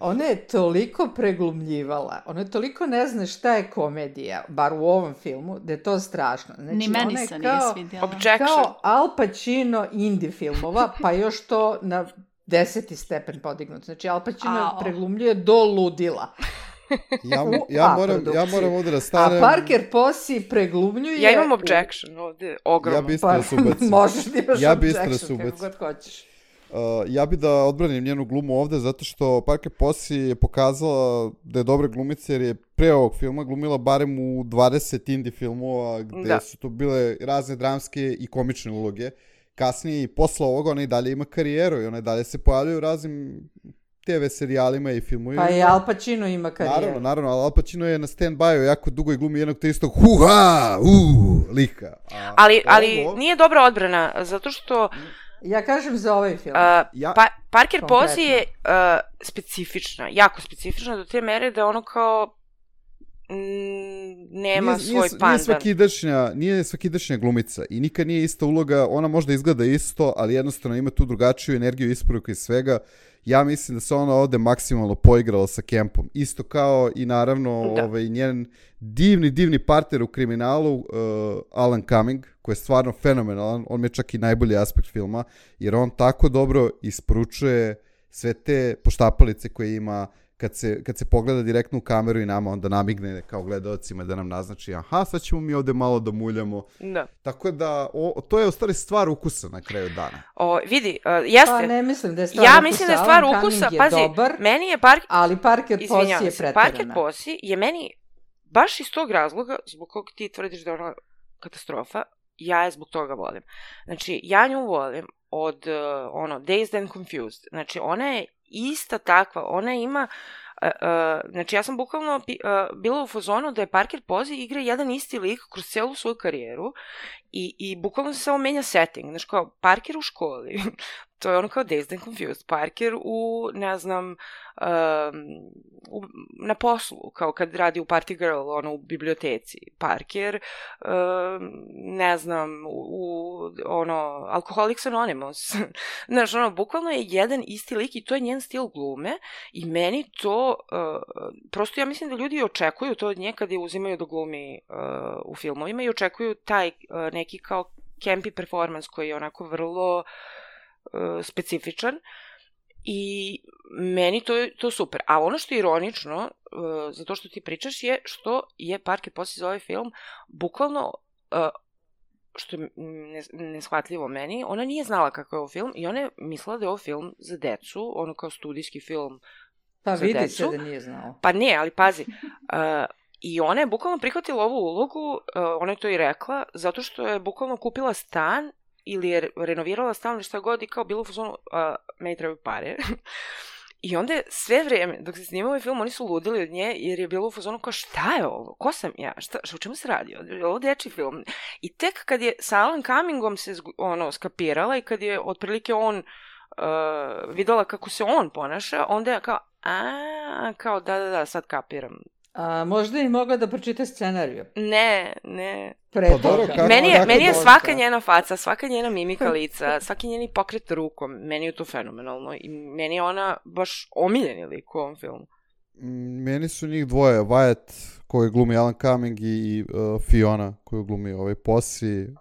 Ona je toliko preglumljivala, ona je toliko ne zna šta je komedija, bar u ovom filmu, da je to strašno. Znači, ni meni se nije svidjela. Kao Al Pacino indie filmova, pa još to na 10. stepen podignut. Znači, Al Pacino preglumljuje do ludila. Ja moram ovdje da stanem... A Parker Posey preglumljuje... Ja imam objection ovdje, ogromno. Ja bi isto da se ubacim. Možeš da imaš objection, kako god hoćeš. Ja bi da odbranim njenu glumu ovde zato što Parker Posey je pokazala da je dobra glumica jer je pre ovog filma glumila barem u 20 indie filmova gde su to bile razne dramske i komične uloge. Kasnije i posle ovoga ona i dalje ima karijeru i ona i dalje se pojavljaju u raznim TV serijalima i filmovima. Pa i Al Pacino ima karijeru. Naravno, ali Al Pacino je na stand-by-u jako dugo i glumi jednog te istog lika. Ali nije dobra odbrana, zato što... Ja kažem za ovaj film. Parker Posey je specifična, jako specifična do te mere da ono kao nema svoj pandan. Nije svakidašnja glumica i nikad nije ista uloga, ona možda izgleda isto, ali jednostavno ima tu drugačiju energiju, isporuku i svega. Ja mislim da se ona ovde maksimalno poigrala sa Kempom. Isto kao i naravno njen divni partner u kriminalu, Alan Cumming, koji je stvarno fenomenalan. On mi je čak i najbolji aspekt filma, jer on tako dobro isporučuje sve te poštapalice koje ima kad se pogleda direktno u kameru i nama onda namigne kao gledaocima da nam naznači sad ćemo mi ovde malo da muljamo. Da. Tako da to je u stvari stvar ukusa na kraju dana. Vidi, jeste. Pa ne mislim da je stvar ukusa. Ja mislim da je stvar ukusa. Pazi, dobar, meni je ali Parker Posey je preterana. Parker Posey je meni baš iz tog razloga zbog kog ti tvrdiš da je ona katastrofa, ja je zbog toga volim. Znači, ja nju volim od Dazed and Confused. Znači, ona je ista takva, ona ima znači ja sam bukvalno bila u fazonu da je Parker Posey igra jedan isti lik kroz celu svoju karijeru i bukvalno se samo menja setting, znači kao Parker u školi, to je ono kao Dazed and Confused, Parker u, ne znam, na poslu, kao kad radi u Party Girl, ono u biblioteci, Parker, ne znam, u Alcoholics Anonymous, znači bukvalno je jedan isti lik i to je njen stil glume i meni to, prosto ja mislim da ljudi očekuju to od nje kad je uzimaju da glumi u filmovima i očekuju taj neki kao campy performance koji je onako vrlo specifičan i meni to super. A ono što je ironično, zato što ti pričaš, je što je Parker Posey za ovaj film bukvalno, što je neshvatljivo meni, ona nije znala kako je ovo film i ona je mislila da je ovo film za decu, ono kao studijski film pa za decu. Pa vidi se da nije znala. Pa ne, ali pazi, i ona je bukvalno prihvatila ovu ulogu, ona je to i rekla, zato što je bukvalno kupila stan ili je renovirala stan ili šta god i kao bilo u fazonu, meni trebaju pare. I onda je sve vreme, dok se snimao ovaj film, oni su ludili od nje, jer je bilo u fazonu kao šta je ovo, ko sam ja, o čemu se radi, ovo dečji film. I tek kad je sa Alan Cummingom se skapirala i kad je otprilike on videla kako se on ponaša, onda je kao da, sad kapiram. A možda i mogla da pročita scenariju. Ne. Meni je svaka njena faca, svaka njena mimika lica, svaki njeni pokret rukom, meni je to fenomenalno i meni je ona baš omiljeni lik u ovom filmu. Meni su njih dvoje, Wyatt koji glumi Alan Cumming i Fiona koju glumi Posey,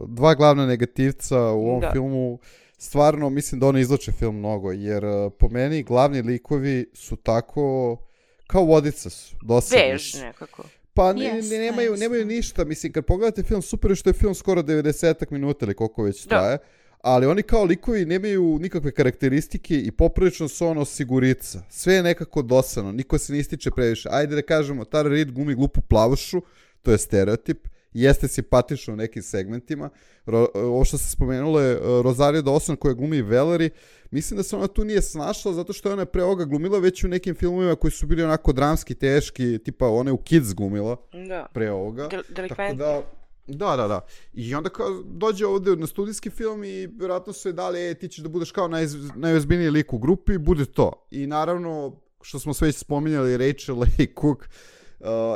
dva glavna negativca u ovom filmu. Stvarno mislim da oni izlače film mnogo, jer po meni glavni likovi su tako kao vodica su, dosadni. Vež nekako. Pa Jest, nemaju ništa, mislim, kad pogledate film, super je što je film skoro 90 minuta ili koliko već traje, ali oni kao likovi nemaju nikakve karakteristike i poprilično su ono sigurica. Sve je nekako dosadno, niko se ne ističe previše. Ajde da kažemo, Tara Reid glumi glupu plavušu, to je stereotip, jeste simpatično u nekim segmentima. Ovo što se spomenulo je Rosario Dawson koja glumi Valerie. Mislim da se ona tu nije snašla zato što je ona pre ovoga glumila već u nekim filmovima koji su bili onako dramski, teški, tipa ona je u Kids glumila pre ovoga. Tako da. I onda kao dođe ovde na studijski film i vjerojatno su je dali, ti ćeš da budeš kao najozbiljniji lik u grupi, bude to. I naravno, što smo sve već spominjali, Rachel Leigh Cook,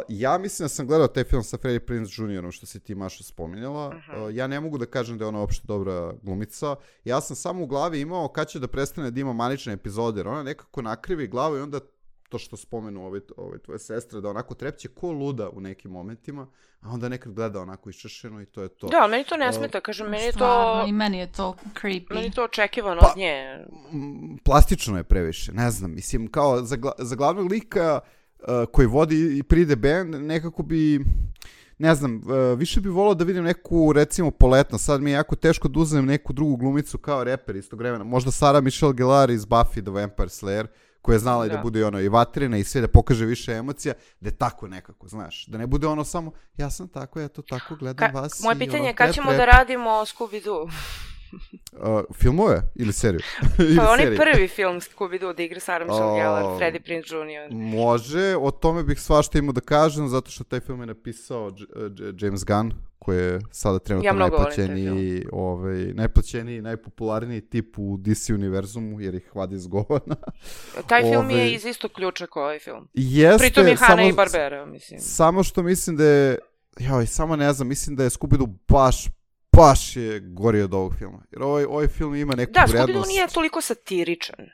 ja mislim da sam gledao taj film sa Freddie Prinze Jr. što si ti, Maša, spominjala. Ja ne mogu da kažem da je ona uopšte dobra glumica. Ja sam samo u glavi imao kad će da prestane da ima manične epizode, jer ona nekako nakrivi glavu i onda to što spomenu ove tvoje sestre, da onako trepće ko luda u nekim momentima, a onda nekad gleda onako iščešeno i to je to. Da, meni to ne smeta, kažem, meni je to... Stvarno, i meni je to creepy. Meni je to očekivano od nje. Plastično je previše, ne znam, mislim, kao za glavnog lika koji vodi i pride band, nekako bi, ne znam, više bi volao da vidim neku, recimo, Poletna. Sad mi je jako teško da uzmem neku drugu glumicu kao reper istog vremena. Možda Sarah Michelle Gellar iz Buffy the Vampire Slayer, koja je znala i da bude ono i vatrena i sve, da pokaže više emocija, da je tako nekako, znaš. Da ne bude ono samo, ja sam tako, ja to tako gledam vas. Moje pitanje je kad ćemo da radimo Scooby-Doo? Filmove ili seriju? Pa onaj prvi film Scooby-Doo da igra Sarah Michelle Gellar, Freddie Prinze Jr. Može, o tome bih svašta imao da kažem, zato što taj film je napisao James Gunn, koji je sada trenutno najplaćeniji, najpopularniji tip u DC univerzumu, jer ih vadi iz govana. Taj film je iz istog ključa kao ovaj film. Jeste, pritom je Hanna i Barbera, mislim. Samo što mislim da je, samo ne znam, mislim da je Scooby-Doo baš je gori od ovog filma. Jer ovaj film ima neku vrednost. Da, Scooby-Doo nije toliko satiričan.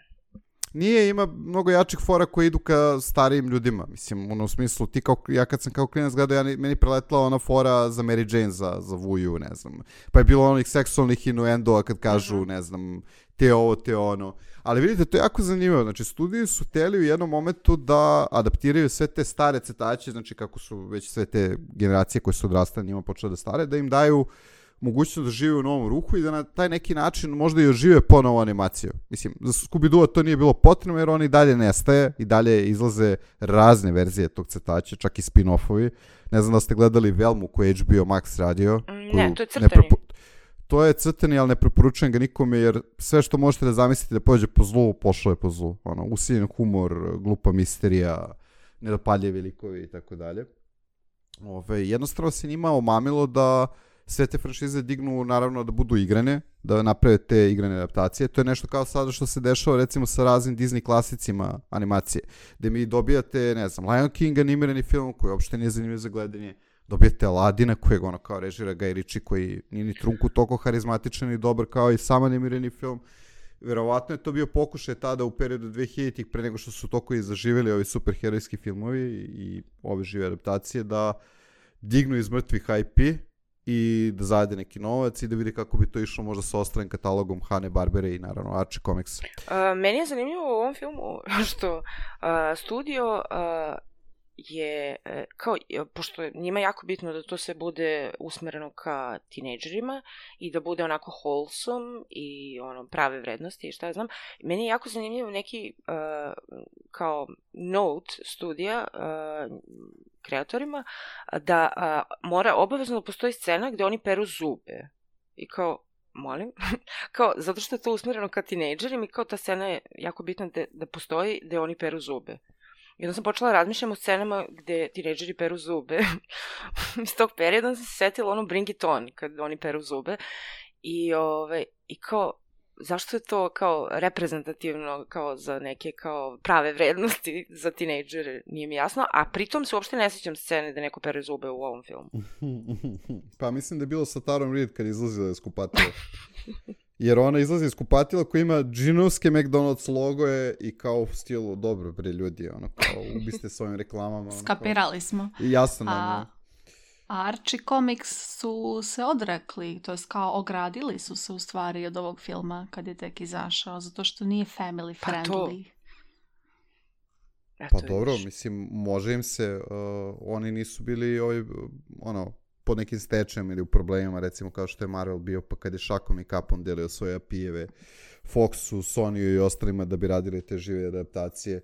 Nije, ima mnogo jačih fora koji idu ka starijim ljudima. Mislim, u smislu, ti ja kad sam kao klinac gledao, meni preletla ona fora za Mary Jane, za Vuju, ne znam. Pa je bilo onih seksualnih innuendoa kad kažu, ne znam, te ovo, te ono. Ali vidite, to je jako zanimljivo. Znači, studiji su hteli u jednom momentu da adaptiraju sve te stare crtače, znači kako su već sve te generacije koje su odrastale njima počele da stare, da im daju mogućnost da žive u novom ruhu i da na taj neki način možda i ožive ponovo animaciju. Mislim, za Scooby-Doo to nije bilo potrebno jer on i dalje nestaje, i dalje izlaze razne verzije tog crtača, čak i spin-offovi. Ne znam da ste gledali Velmu koju je HBO Max radio. Ne, to je crtani. To je crtani, ali ne preporučujem ga nikome jer sve što možete da zamislite da pođe po zlu, pošlo je po zlu. Ono, usiljen humor, glupa misterija, nedopaljivi likovi i tako dalje. Jednostavno se njima omamilo da sve te franšize dignu, naravno, da budu igrane, da naprave te igrane adaptacije. To je nešto kao sada što se dešava, recimo, sa raznim Disney klasicima animacije, gde mi dobijate, ne znam, Lion King animirani film, koji uopšte nije zanimljiv za gledanje, dobijete Aladina, kojeg ono kao režira Guy Ritchie, koji nije ni trunku toliko harizmatičan i dobar kao i sam animirani film. Verovatno je to bio pokušaj tada u periodu 2000-ih, pre nego što su toliko i zaživjeli ovi superherojski filmovi i ove žive adaptacije, da dignu iz mrtvih IP i da zarade neki novac i da vidi kako bi to išlo možda sa ostalim katalogom Hanne-Barbere i naravno Archie Comics. Meni je zanimljivo u ovom filmu što studio je, kao, pošto je njima jako bitno da to sve bude usmereno ka tinejdžerima i da bude onako wholesome i ono, prave vrednosti i šta ja znam, meni je jako zanimljivo neki kao note studija kreatorima da mora obavezno da postoji scena gde oni peru zube i kao, molim, kao, zato što je to usmereno ka tinejdžerima i kao ta scena je jako bitna da postoji gde oni peru zube. I onda sam počela razmišljam o scenama gde tinejdžeri peru zube. Iz tog perioda sam se setila ono Bring It On, kad oni peru zube. I kao, zašto je to kao reprezentativno kao za neke kao prave vrednosti za tinejdžere, nije mi jasno. A pritom se uopšte ne sjećam scene da neko pere zube u ovom filmu. Pa mislim da je bilo sa Tarom Reid kad izlazila iz kupatila. Jer ona izlazi iz kupatila koja ima džinovske McDonald's logoje i kao u stilu, dobro bre ljudi, ono kao ubiste s ovim reklamama. Skapirali smo. I jasno nam je. A Archie Comics su se odrekli, to jest kao ogradili su se u stvari od ovog filma kad je tek izašao, zato što nije family friendly. Eto, Pa dobro, vidiš. mislim, može im se, oni nisu bili pod nekim stečajem ili u problemima, recimo kao što je Marvel bio, pa kad je šakom i kapom delio svoje API-eve Foxu, Sonyu i ostalima da bi radili te žive adaptacije.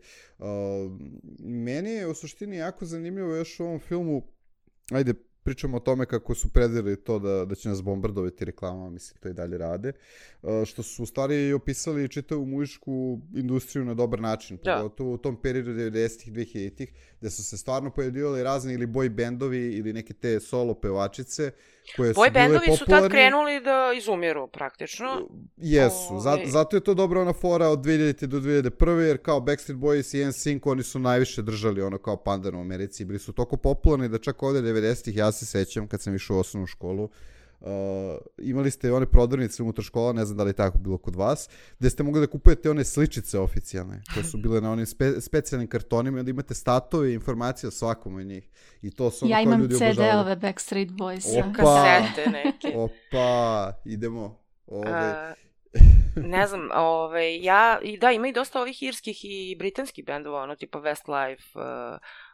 Meni je u suštini jako zanimljivo još u ovom filmu, ajde, pričamo o tome kako su predvidjeli to da će nas bombardovati reklamama, mislim, to i dalje rade, što su u stvari opisali čitavu muzičku industriju na dobar način, pogotovo u tom periodu 90-ih, 2000-ih, gde su se stvarno pojavljivali razni ili boy bendovi ili neke te solo pevačice koje su bile popularni. Boy bendovi su tad krenuli da izumiru praktično. Jesu, zato je to dobra ona fora od 2000. do 2001. jer kao Backstreet Boys i NSYNC oni su najviše držali ono kao pandan u Americi i bili su toliko popularni da čak ovde 90-ih, ja se sećam kad sam išao u osnovnu školu, imali ste one prodavnice unutar škola, ne znam da li je tako bilo kod vas, gde ste mogli da kupujete one sličice oficijalne, koje su bile na onim specijalnim kartonima, da imate statove i informacije o svakom od njih. I to su ja imam CD-ove Backstreet Boys. Kasete neke. Opa, idemo. Ne znam, ima i dosta ovih irskih i britanskih bendova, ono tipa Westlife,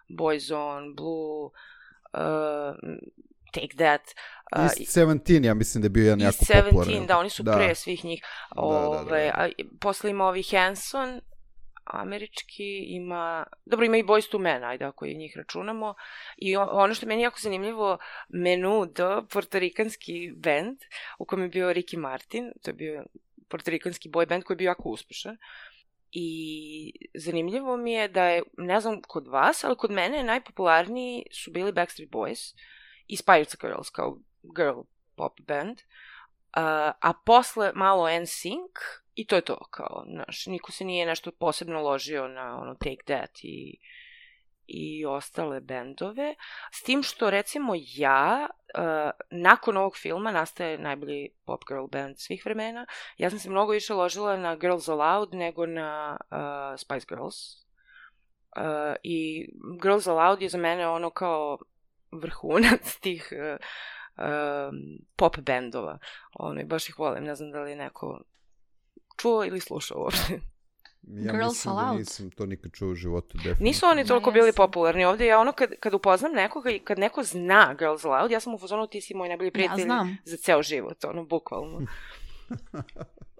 Boyzone, Blue, Take That. East 17, ja mislim da je bio jedan jako popularan. East 17, da, oni su pre svih njih. Posle ima ovi Hanson, američki, ima i Boyz II Men, ajde ako i njih računamo. I ono što je meni jako zanimljivo, Menudo, portorikanski band, u kojem je bio Ricky Martin, to je bio portorikanski boy band koji je bio jako uspešan. I zanimljivo mi je da je, ne znam kod vas, ali kod mene najpopularniji su bili Backstreet Boys i Spice Girls kao girl pop band, a posle malo NSYNC i to je to, kao, znaš, niko se nije nešto posebno ložio na ono Take That i ostale bendove, s tim što recimo nakon ovog filma nastaje najbolji pop girl band svih vremena. Ja sam se mnogo više ložila na Girls Aloud nego na Spice Girls. I Girls Aloud je za mene ono kao vrhunac tih pop bendova. Baš ih volim, ne znam da li neko čuo ili slušao uopšte. Ja mislim da nisam to nikad čuo u životu. Definitivno. Nisu oni toliko bili popularni ovdje. Ja kad upoznam nekoga i kad neko zna Girls Aloud, ja sam u fazonu, ti si moj najbolji prijatelj za ceo život, bukvalno.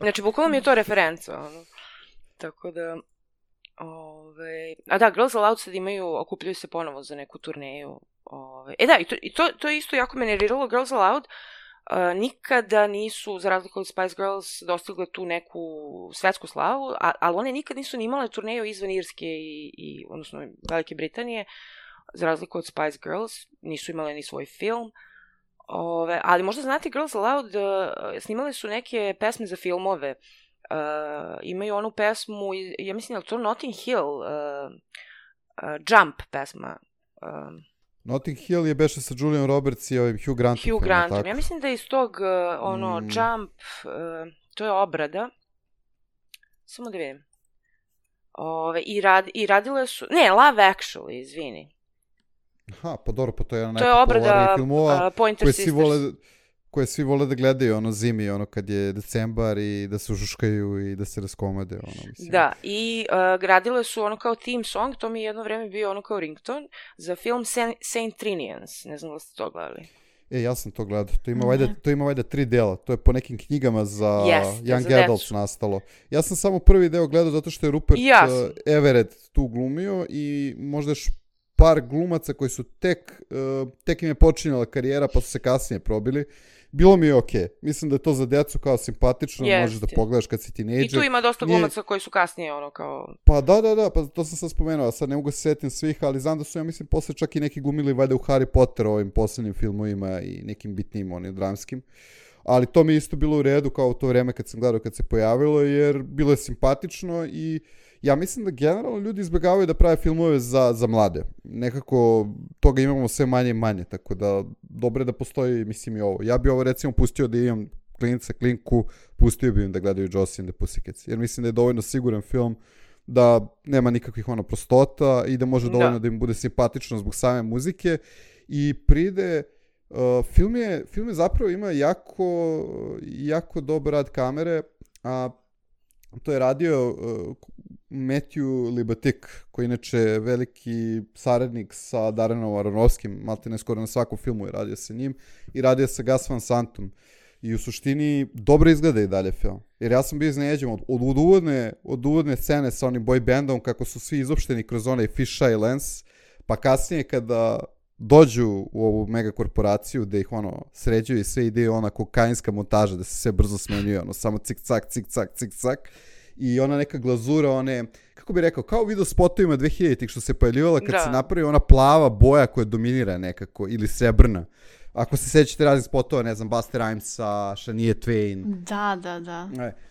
Znači, bukvalno mi je to referenca, Tako da, Girls Aloud sad okupljaju se ponovo za neku turneju. I to je isto jako me nerviralo. Girls Aloud nikada nisu, za razliku od Spice Girls, dostigle tu neku svetsku slavu, ali one nikad nisu ni imale turneju izvan Irske i odnosno Velike Britanije, za razliku od Spice Girls, nisu imale ni svoj film. Ali možda znate, Girls Aloud snimale su neke pesme za filmove. Imaju onu pesmu, ja mislim da je to Notting Hill, Jump pesma. Notting Hill je beše sa Julian Roberts i Hugh Grantom. Hugh Grantom. Ja mislim da je iz tog Jump, to je obrada. Samo da vidim. I radile su... Ne, Love Actually, izvini. Aha, pa dobro, pa to je jedna najpopularnijih filmova koje svi vole da gledaju, zimi, kad je decembar i da se užuškaju i da se raskomade, mislim. Da, i radile su kao theme song, to mi je jedno vreme bio kao ringtone, za film Saint Trinians, ne znam da ste to gledali. Ja sam to gledao, to ima valjda 3 dela, to je po nekim knjigama za Young Adults nastalo. Ja sam samo prvi deo gledao zato što je Rupert Everett tu glumio i možda još par glumaca koji su tek im je počinjala karijera pa su se kasnije probili. Bilo mi je okej. Mislim da je to za decu kao simpatično, možeš da pogledaš kad si tinejdžer. I tu ima dosta glumaca koji su kasnije kao... Pa da, pa to sam sad spomenuo, sad ne mogu se setim svih, ali znam da su, ja mislim, posle čak i neki glumili valjda u Harry Potter ovim poslednjim filmovima i nekim bitnim, onim dramskim. Ali to mi je isto bilo u redu kao u to vreme kad sam gledao kad se pojavilo, jer bilo je simpatično i ja mislim da generalno ljudi izbjegavaju da prave filmove za mlade. Nekako toga imamo sve manje i manje, tako da dobro je da postoji, mislim, i ovo. Ja bi ovo recimo pustio da imam klinku, pustio bi im da gledaju Josie and the Pussycats, jer mislim da je dovoljno siguran film, da nema nikakvih prostota i da može dovoljno da im bude simpatično zbog same muzike i pride... Film je zapravo ima jako dobar rad kamere, a to je radio Matthew Libatic, koji inače je veliki saradnik sa Darrenom Aronofskim, maltene skoro na svakom filmu je radio sa njim, i radio sa Gus Van Santom. I u suštini dobro izgleda i dalje film. Jer ja sam bio iznenađen od uvodne scene sa onim boy bandom, kako su svi izopšteni kroz onaj fisheye lens, pa kasnije kada dođu u ovu mega korporaciju gde ih sređuju i sve ide ona kokainska montaža da se sve brzo smenjuje, samo cik-cak, cik-cak, cik-cak, i ona neka glazura, kako bih rekao, kao u video spotovima 2000-ih što se pojavljivala kad se napravi ona plava boja koja dominira nekako, ili srebrna. Ako se sećate raznih spotova, ne znam, Busta Rhymesa, Shania Twain. Da.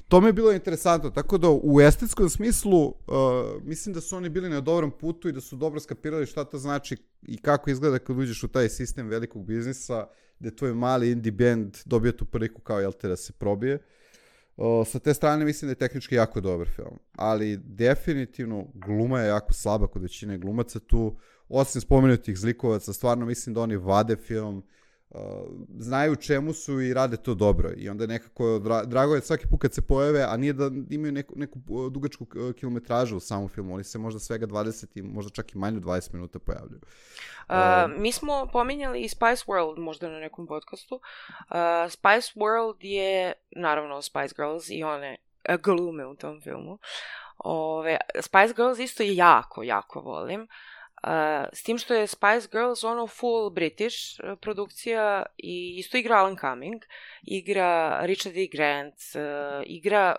To mi je bilo interesantno, tako da u estetskom smislu mislim da su oni bili na dobrom putu i da su dobro skapirali šta to znači i kako izgleda kad uđeš u taj sistem velikog biznisa, gde tvoj mali indie band dobije tu priliku kao jel te da se probije. Sa te strane mislim da je tehnički jako dobar film, ali definitivno gluma je jako slaba kod većine glumaca tu, osim spomenutih zlikovaca, stvarno mislim da oni vade film, znaju čemu su i rade to dobro i onda nekako drago je svaki put kad se pojave, a nije da imaju neku dugačku kilometražu u samom filmu, oni se možda svega 20 i možda čak i manje 20 minuta pojavljaju. Mi smo pominjali i Spice World možda na nekom podcastu. Spice World je naravno Spice Girls i one glume u tom filmu. Spice Girls isto jako, jako volim. S tim što je Spice Girls full British produkcija i isto igra Alan Cumming, igra Richard E. Grant, igra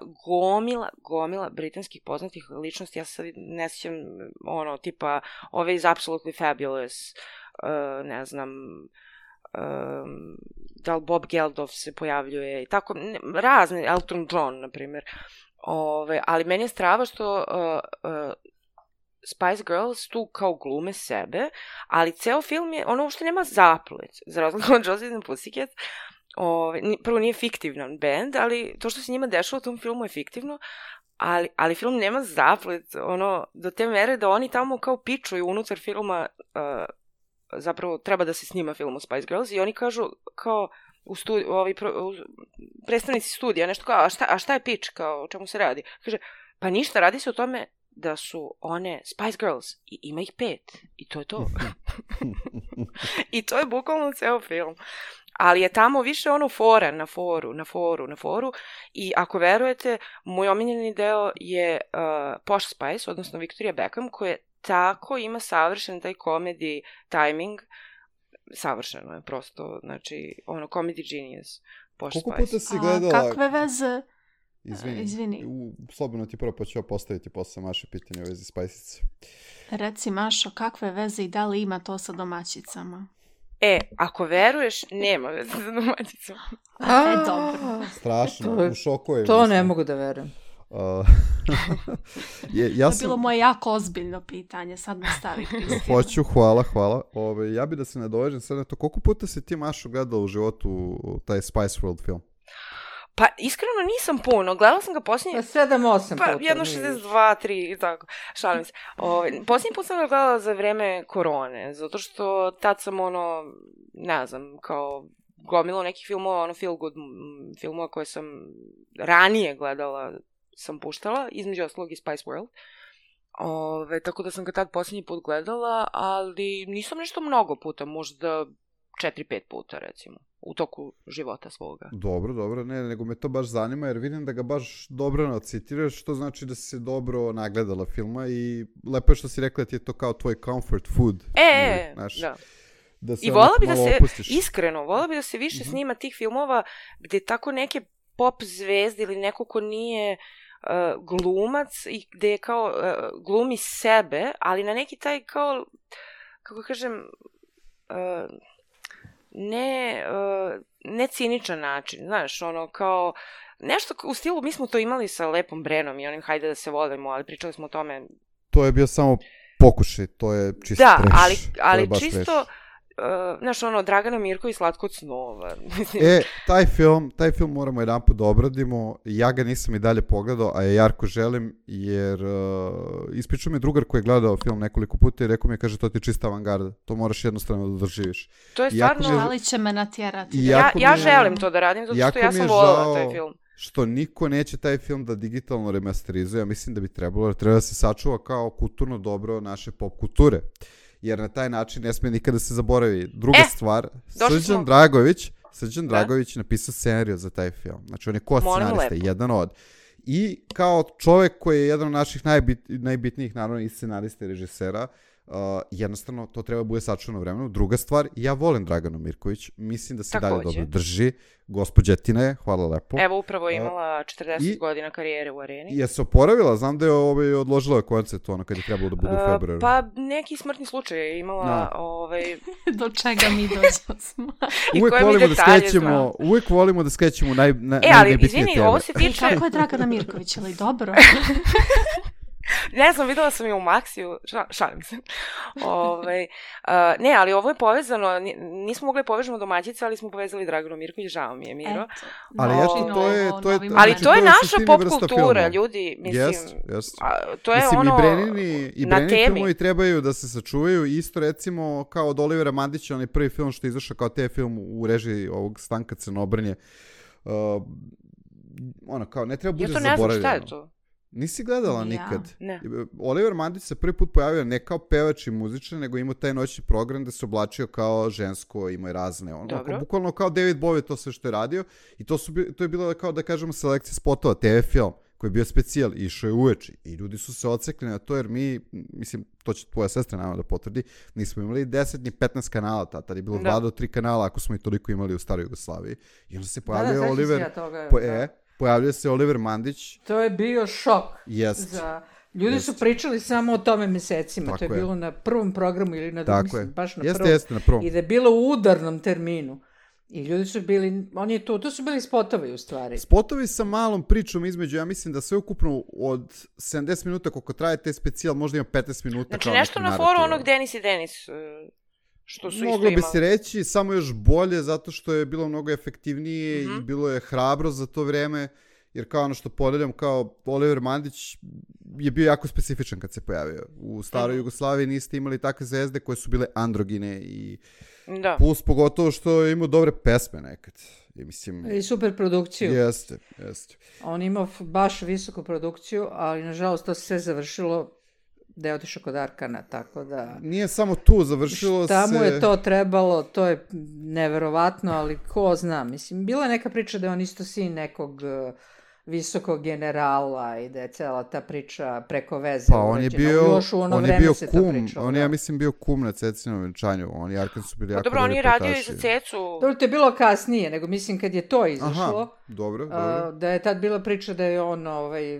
gomila britanskih poznatih ličnosti. Ja sad ne sjećam tipa ove iz Absolutely Fabulous, ne znam, da li Bob Geldof se pojavljuje i tako, razne, Elton John na primjer. Ali meni je strava što Spice Girls tu kao glume sebe, ali ceo film je, uopšte nema zaplet, za razliku od Josie and the Pussycat. Prvo nije fiktivan band, ali to što se njima dešava u tom filmu je fiktivno, ali film nema zaplet, do te mere da oni tamo kao pičuju unutar filma, zapravo treba da se snima film o Spice Girls i oni kažu kao predstavnici studija, nešto kao, a šta je pitch, kao o čemu se radi? Kaže, pa ništa, radi se o tome da su one Spice Girls i ima ih 5 i to je to. I to je bukvalno ceo film. Ali je tamo više fora na foru i ako verujete, moj omiljeni deo je Posh Spice, odnosno Victoria Beckham, koja tako ima savršen taj comedy timing, savršeno je prosto, znači comedy genius, Posh Spice. Koliko puta si gledala... Kakve veze... Izvini. Slobodno ti prvo pa ću postaviti posle Maše pitanje u vezi Spajsice. Reci Mašo, kakve veze i da li ima to sa domaćicama? Ako veruješ, nema veze sa domaćicama. Dobro. Strašno, u šoku je. To ne mogu da verujem. To je bilo moje jako ozbiljno pitanje, sad me stavi Kristina. Hoću, hvala. Ja bi da se nadovežem sad na to, koliko puta si ti Mašo gledala u životu taj Spice World film? Pa, iskreno nisam puno. Gledala sam ga posljednji... 7-8 puta. Pa, jedno 62, 3 i tako. Šalim se. Posljednji put sam ga gledala za vreme korone, zato što tad sam ne znam, kao gomilo nekih filmova, feel good filmova koje sam ranije gledala, sam puštala, između ostalog i Spice World. Tako da sam ga tad posljednji put gledala, ali nisam nešto mnogo puta, možda 4-5 puta, recimo, u toku života svoga. Dobro, nego me to baš zanima, jer vidim da ga baš dobro nacitiraš, što znači da si se dobro nagledala filma i lepo je što si rekla da ti je to kao tvoj comfort food. Da. I volila bi da se, iskreno, volila bi da se više snima tih filmova gde tako neke pop zvezde ili neko ko nije glumac i gde je kao glumi sebe, ali na neki taj kao, kako kažem, ne ciničan način, znaš, kao nešto u stilu, mi smo to imali sa Lepom Brenom i onim Hajde da se volimo, ali pričali smo o tome. To je bio samo pokušaj, to je čisto trash. Da, ali čisto, znaš, Dragana Mirković, Slatko od snova. Taj film moramo jedan put da obradimo, ja ga nisam i dalje pogledao, a ja jako želim, jer ispričao mi drugar koji je gledao film nekoliko puta i rekao mi je, kaže, to ti je čista avangarda, to moraš jednostavno da doživiš. To je stvarno... Ali će me natjerati. Ja želim to da radim, zato što ja sam volila taj film. što niko neće taj film da digitalno remasterizuje. Ja mislim da bi trebalo, jer treba da se sačuva kao kulturno dobro naše pop kulture. Jer na taj način ne smije nikada se zaboravi. Druga stvar, Srđan Dragović je napisao scenariju za taj film. Znači on je scenarista, jedan od. I kao čovjek koji je jedan od naših najbitnijih, naravno, i scenarista i režisera, jednostavno to treba bude sačuvano vremenu. Druga stvar, ja volim Draganu Mirković, mislim da se dalje dobro drži. Gospođetina je, hvala lepo. Evo, upravo je imala 40 godina karijere u Areni. Je se oporavila? Znam da je odložila koncert kad je trebalo da bude u februaru. Pa neki smrtni slučaj je imala. Do čega mi dođemo. Uvijek volimo da skrećemo najbitnije teme. Ali izvini, ovo se tiče... Kako je Dragana Mirković, ali dobro? Ne znam, videla sam je u Maxiju, šalim se. Ne, ali ovo je povezano, nismo mogli povežemo domaćice, ali smo povezali Draganu Mirković, žao mi je, Miro. Ali ali to je naša pop kultura, ljudi, mislim. To je ono i Brenini filmovi trebaju da se sačuvaju, isto recimo kao od Olivera Mandića, onaj prvi film što je izašao kao te film u režiji ovog Stanka Crnobrnje. Kao, ne treba bude zaboravljeno. Ja to ne znam, šta je to? Nisi gledala nikad? Ne. Oliver Mandić se prvi put pojavio ne kao pevač i muzičar, nego imao taj noćni program da se oblačio kao žensko, imao je razne. Bukvalno kao David Bowie to sve što je radio. I to je bilo kao da kažemo selekcija spotova, TV film koji je bio specijal, išao je uveče. I ljudi su se odsekli na to jer mi, mislim, to će tvoja sestra naravno da potvrdi, nismo imali 10 ni 15 kanala, tada je bilo 2 do 3 kanala ako smo i toliko imali u staroj Jugoslaviji. I onda se pojavio Oliver... Pojavljuje se Oliver Mandić. To je bio šok. Ljudi su pričali samo o tome mesecima. To je bilo na prvom programu ili na drugom, baš na prvom. Jeste, na prvom. I da je bilo u udarnom terminu. I ljudi su bili, to su bili spotovi u stvari. Spotovi sa malom pričom između, ja mislim da sve ukupno od 70 minuta koliko traje te specijal, možda ima 15 minuta. Znači nešto na foru onog Denis i Denis... Moglo bi se reći, samo još bolje, zato što je bilo mnogo efektivnije i bilo je hrabro za to vreme, jer kao ono što podeljam, kao Oliver Mandić je bio jako specifičan kad se pojavio. U staroj Jugoslaviji niste imali takve zvezde koje su bile androgine i plus pogotovo što je imao dobre pesme nekad. I super produkciju. Jeste. On imao baš visoku produkciju, ali nažalost to se sve završilo da je otišao kod Arkana, tako da... Nije samo tu, završilo šta mu je to trebalo, to je neverovatno, ali ko zna, mislim, bila je neka priča da je on isto sin nekog visokog generala i da je cela ta priča preko veze. Pa on je bio kum, on je, ja mislim, bio kum na Cecinom venčanju, on i Arkan su bili jako dobro, on je radio i za Cecu. Dobro, to je bilo kasnije, nego mislim kad je to izašlo, dobro. Da je tad bila priča da je on,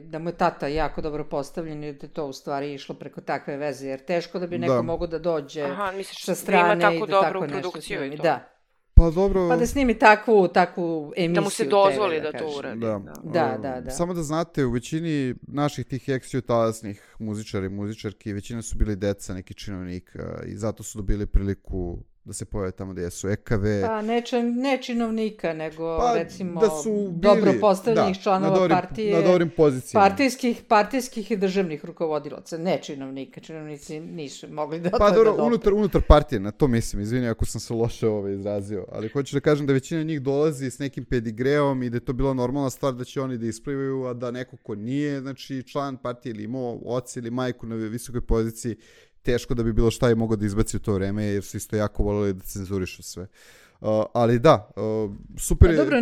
da mu je tata jako dobro postavljen i da je to u stvari išlo preko takve veze, jer teško da bi neko mogo da dođe sa strane i da tako nešto snimi. Da. Pa dobro... Pa da snimi takvu emisiju. Da mu se dozvoli da to uradi. Da. Samo da znate, u većini naših tih ex-jugotalasnih muzičara i muzičarki, većina su bili deca nekih činovnika i zato su dobili priliku da se pojave tamo gdje su EKV. Pa ne činovnika, nego recimo dobro postavljenih članova partije. Na dobrim pozicijama. Partijskih i državnih rukovodilaca. Ne činovnika. Činovnici nisu mogli da... Pa dobro, unutar partije, na to mislim. Izvini ako sam se loše izrazio. Ali hoću da kažem da većina njih dolazi s nekim pedigreom i da je to bila normalna stvar da će oni da isplivaju, a da neko ko nije, znači član partije ili imao oca ili majku na visokoj poziciji, teško da bi bilo šta i mogao da izbaci u to vreme, jer su isto jako voljeli da cenzurišu sve. Ali da, super je... Dobro,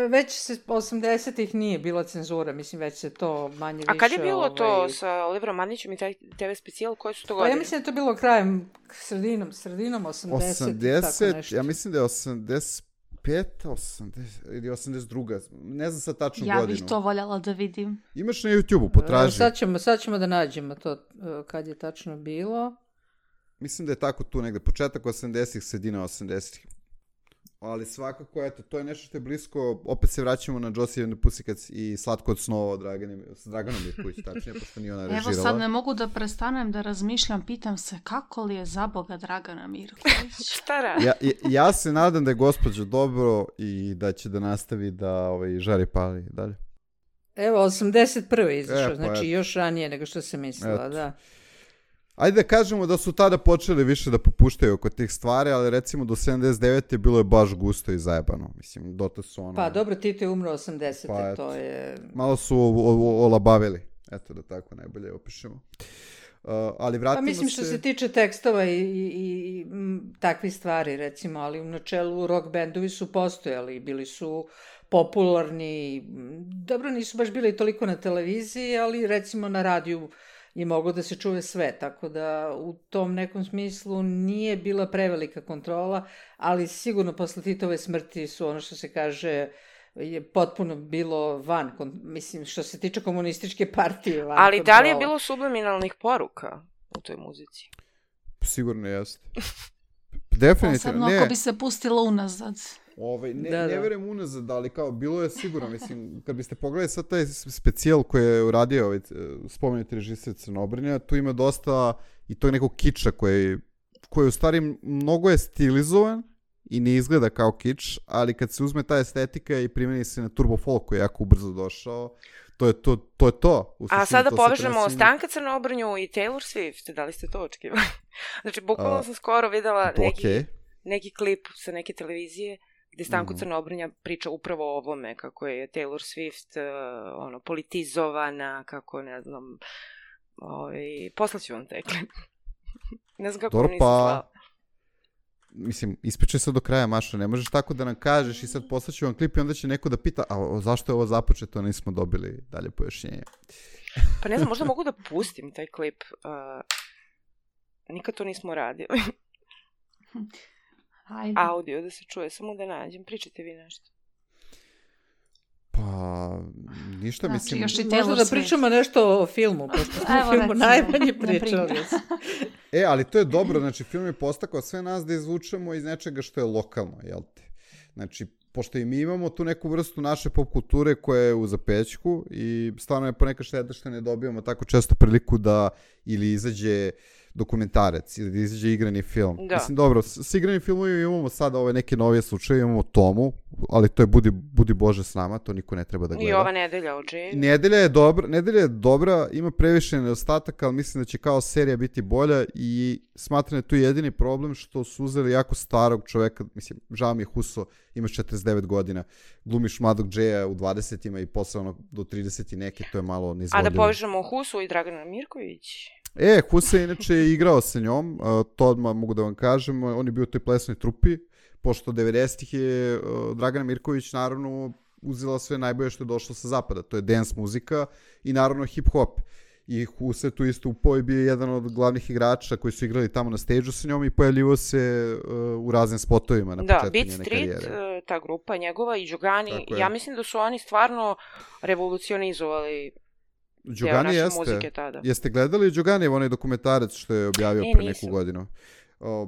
već se 80-ih nije bila cenzura, mislim već se to manje više... A kad je bilo to sa Oliverom Mandićem i taj TV specijal, koje su to godine? Pa ja mislim da je to bilo krajem, sredinom 80, tako nešto. Ja mislim da je 85, 80 ili 82. Ne znam sad tačnu godinu. Ja bih to voljela da vidim. Imaš na YouTube-u, potraži. Sad ćemo da nađemo to kad je tačno bilo. Mislim da je tako tu negde, početak 80-ih, sredina 80-ih. Ali svakako, eto, to je nešto što je blisko, opet se vraćamo na Josie and the Pussycats i Slatko od snova s Draganom Mirković, tačnije, pošto nije ona režirala. Evo sad ne mogu da prestanem da razmišljam, pitam se kako li je za Boga Dragana Mirković? Šta radi? Ja se nadam da je gospođa dobro i da će da nastavi da žari pali dalje. Evo, 81. izašao, znači još ranije nego što sam mislila, da. Ajde da kažemo da su tada počeli više da popuštaju oko tih stvari, ali recimo do 79. bilo je baš gusto i zajebano. Mislim, dotle su ono... Pa dobro, Tito je umro 80. Pa, to je... Malo su olabavili. Eto, da tako najbolje opišemo. Ali vratimo pa mislim što se tiče tekstova i takvih stvari, recimo, ali u načelu rock bendovi su postojali, bili su popularni, dobro, nisu baš bili toliko na televiziji, ali recimo na radiju je moglo da se čuje sve, tako da u tom nekom smislu nije bila prevelika kontrola, ali sigurno posle Titove smrti su ono što se kaže je potpuno bilo van, mislim, što se tiče komunističke partije, van ali kontrola. Da li je bilo subliminalnih poruka u toj muzici? Sigurno jeste. Definitivno. Posebno ako bi se pustilo unazad. Ne verujem unazad, ali kao bilo je sigurno, mislim, kad biste pogledali sad taj specijal koji je uradio spomenuti režiser Crnobrnja, tu ima dosta i tog nekog kiča koji u stvari mnogo je stilizovan i ne izgleda kao kič, ali kad se uzme ta estetika i primeni se na turbo folk koji je jako ubrzo došao, to je to. A sada povežemo Stanka Crnobrnju i Taylor Swift, da li ste to očekivali? Znači, bukvalno sam skoro videla neki klip sa neke televizije gde Stanko Crnobrnja priča upravo o ovome, kako je Taylor Swift politizovana, kako, ne znam, poslaću vam taj klip. Ne znam kako nisam slala. Mislim, ispričaj se do kraja, Maša, ne možeš tako da nam kažeš i sad poslaću vam klip i onda će neko da pita, a zašto je ovo započeto, nismo dobili dalje pojašnjenje. Pa ne znam, možda mogu da pustim taj klip. Nikad to nismo radili. Ajde. Audio da se čuje, samo da nađem. Pričajte vi nešto. Pa, ništa, znači, mislim... Možda da pričamo nešto o filmu, pošto smo o filmu najmanje pričali. Ali to je dobro, znači film je postakao sve nas da izvučemo iz nečega što je lokalno, jel te? Znači, pošto i mi imamo tu neku vrstu naše pop kulture koja je u zapećku i stvarno je ponekad šteta što ne dobijamo tako često priliku da ili izađe dokumentarac ili da izađe igrani film. Da. Mislim, dobro, s igranim filmovima imamo sada ove neke novije slučaje, imamo Tomu, ali to je Budi Bože s nama, to niko ne treba da gleda. I ova nedelja o Jane. Nedelja je dobra, ima previše nedostataka, ali mislim da će kao serija biti bolja i smatram da je tu jedini problem što su uzeli jako starog čoveka, mislim, žao mi je Huso, imaš 49 godina, glumiš mladog Jaya u 20-ima i posle onog do 30 i neke, to je malo neizvodljivo. A da povežemo Husu i Dragana Mirković? Husa inače je igrao sa njom, to odmah mogu da vam kažem, on je bio u toj plesnoj trupi, pošto 90-ih je Dragana Mirković naravno uzela sve najbolje što je došlo sa zapada, to je dance muzika i naravno hip-hop. I Husa tu isto upao i bio jedan od glavnih igrača koji su igrali tamo na stage-u sa njom i pojavljivo se u raznim spotovima na početku njene karijere. Beat Street, ta grupa njegova i Đogani, ja mislim da su oni stvarno revolucionizovali Đogani muzike tada. Jeste gledali Đogani onaj dokumentarac što je objavio pre neku godinu?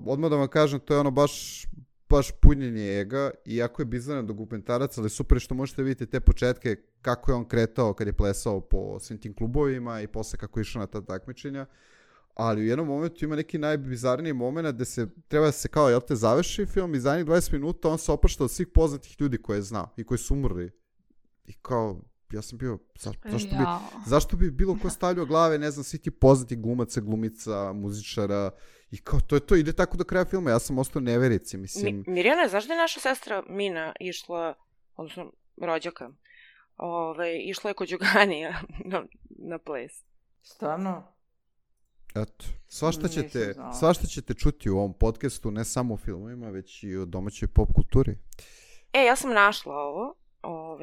Odmah da vam kažem, to je ono baš punjenje ega, iako je bizaran dokumentarac, ali super što možete vidjeti te početke kako je on kretao kad je plesao po svim tim klubovima i posle kako je išao na ta takmičenja. Ali u jednom momentu ima neki najbizarniji moment gde se treba da se kao, završi film i zadnjih 20 minuta on se oprašta od svih poznatih ljudi koje je znao i koji su umrli. I kao, ja sam bio, zašto bi bilo ko stavljao glave, ne znam, svi ti poznati glumaca, glumica, muzičara i kao, to je to, ide tako do kraja filma, ja sam ostao neverici, mislim. Mirjana, znaš da je naša sestra Mina išla, odnosno rođaka, išla je kod Đoganija na ples. Stvarno? Eto, svašta ćete čuti u ovom podcastu, ne samo o filmovima, već i o domaćoj pop kulturi. Ja sam našla ovo.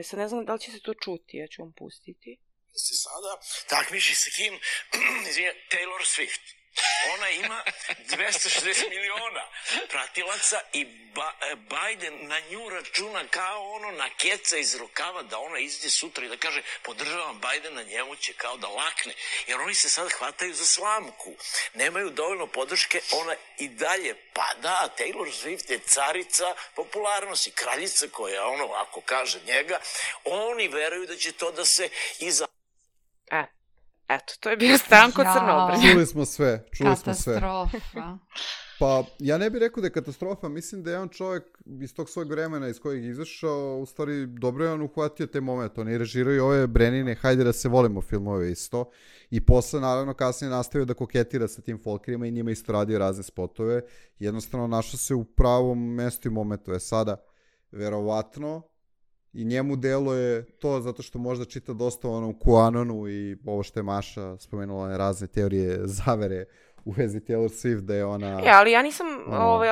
Sad ne znam da li će se to čuti, ja ću vam pustiti. Sada takmiči sa kim? Taylor Swift. Ona ima 260 miliona pratilaca i Biden na nju računa kao ono na keca iz rukava da ona izađe sutra i da kaže podržavam Bidena, njemu će kao da lakne. Jer oni se sad hvataju za slamku. Nemaju dovoljno podrške, ona i dalje pada, a Taylor Swift je carica popularnosti, kraljica koja ono, ako kaže njega, oni veruju da će to da se iza... Eto, to je bio Stanko Crnobrnja. Čuli smo sve. Katastrofa. Pa, ja ne bih rekao da je katastrofa, mislim da je on čovjek iz tog svojeg vremena iz kojeg je izašao, u stvari dobro je on uhvatio taj moment, on je režirao i ove Brenine, hajde da se volimo filmove isto, i posle naravno kasnije nastavio da koketira sa tim folkerima i njima isto radio razne spotove, jednostavno našao se u pravom mestu i momentu, je sada verovatno, i njemu deluje to zato što možda čita dosta o onom QAnonu i ovo što je Maša spomenula, razne teorije zavere u vezi Taylor Swift, da je ona... ali ja nisam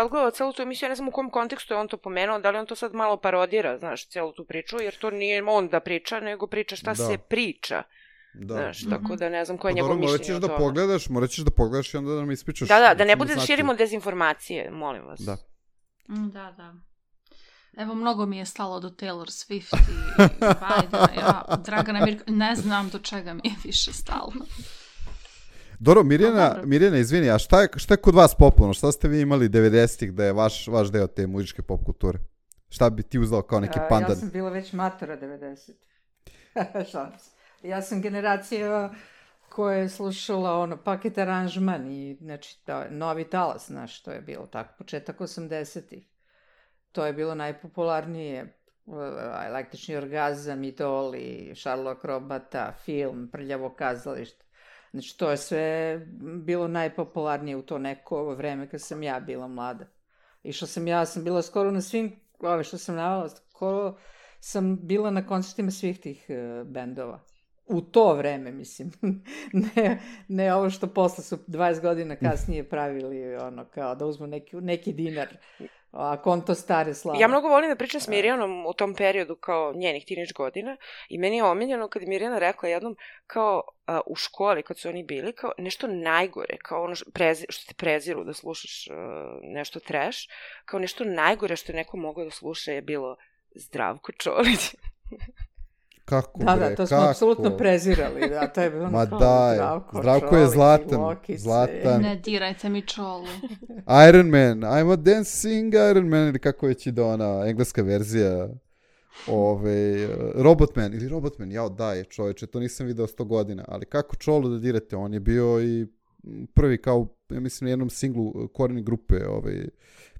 odgledala celu tu emisiju, ja ne znam u kom kontekstu je on to pomenuo, da li on to sad malo parodira, znaš, celu tu priču, jer to nije on da priča, nego priča šta se priča. Da. Znaš, tako da ne znam koje je njegovo mišljenje o tome. Morat ćeš da pogledaš i onda da nam ispričaš. Da ne bude da širimo dezinformacije, molim vas. Da. Evo, mnogo mi je stalo do Taylor Swift i Bidena. Dragana Mirko, ne znam do čega mi je više stalo. Dobro, Mirjana, izvini, a šta je kod vas popularno? Šta ste vi imali 90-ih da je vaš deo te muzičke pop kulture? Šta bi ti uzela kao neki pandan? Ja sam bila već matora 90. Ja sam generacija koja je slušala paket aranžman i znači novi talas, znaš, to je bilo tako, početak 80-ih. To je bilo najpopularnije, Električni orgazam, Idol i Šarlo Akrobata, film, Prljavo kazalište. Znači, to je sve bilo najpopularnije u to neko vreme kad sam ja bila mlada. Ja sam bila skoro na svim, što sam navala, skoro sam bila na koncertima svih tih bendova. U to vreme, mislim. Ne ovo što posle su 20 godina kasnije pravili, kao da uzmu neki dinar. A konto stare slave. Ja mnogo volim da pričam s Mirjanom u tom periodu kao njenih teenage godina i meni je omiljeno kad je Mirjana rekla jednom kao u školi kad su oni bili kao nešto najgore, kao ono što te preziru da slušaš nešto trash, kao nešto najgore što je neko mogao da sluša je bilo Zdravko Čolić. Kako da, to smo apsolutno prezirali. Da, to je bilo Zdravko je zlatan. Ne dirajte mi Čolu. Iron Man, I'm a dancing Iron Man, ili kako već ide ona engleska verzija. Robotman, daj čovječe, to nisam video 100 godina, ali kako Čolu da dirate, on je bio i prvi kao, ja mislim, na jednom singlu Koreni grupe,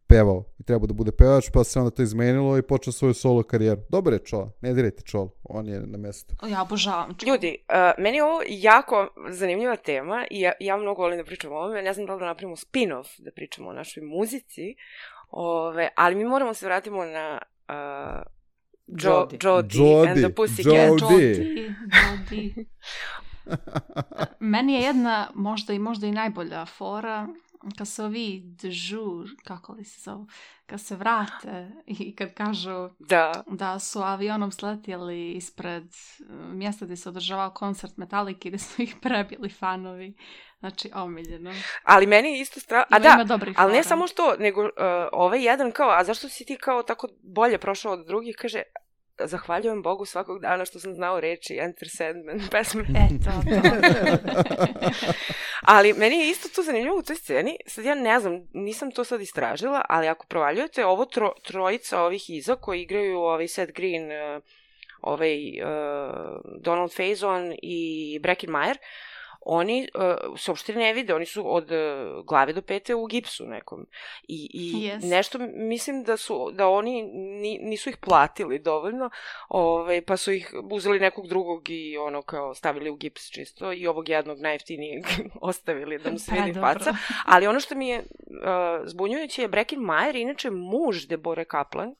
pevao i trebao da bude pevač, pa se onda to izmenilo i počeo svoju solo karijeru. Dobar je Čola, ne dirajte Čolu, on je na mjestu. Ja obožavam Čolu. Ljudi, meni je ovo jako zanimljiva tema i ja mnogo volim da pričam o ovome, ne znam da li da napravimo spin-off, da pričamo o našoj muzici, ali mi moramo se vratimo na Jody and the Pussycat. Jody. Meni je jedna možda i najbolja fora kad se ovi dežur, kako li se zovu, kad se vrate i kad kažu da su avionom sletjeli ispred mjesta gdje se održavao koncert Metallica i da su ih prebili fanovi. Znači, omiljeno. Ali meni je isto ali ne samo što, nego ovaj jedan kao, a zašto si ti kao tako bolje prošao od drugih, kaže, zahvaljujem Bogu svakog dana što sam znao reči Enter Sandman pesme. Ali meni je isto to zanimljivo u toj sceni. Sad ja ne znam, nisam to sad istražila, ali ako provaljujete ovo trojica ovih iza koji igraju Seth Green, Donald Faison i Breckin Meyer, oni se uopšte ne vide, oni su od glave do pete u gipsu nekom. I nešto mislim da oni nisu ih platili dovoljno, pa su ih uzeli nekog drugog i kao stavili u gips čisto i ovog jednog najjeftinijeg ostavili da mu se vidi faca. Ali ono što mi je zbunjujuće je Breckin Meyer, inače muž Deborah Kaplan,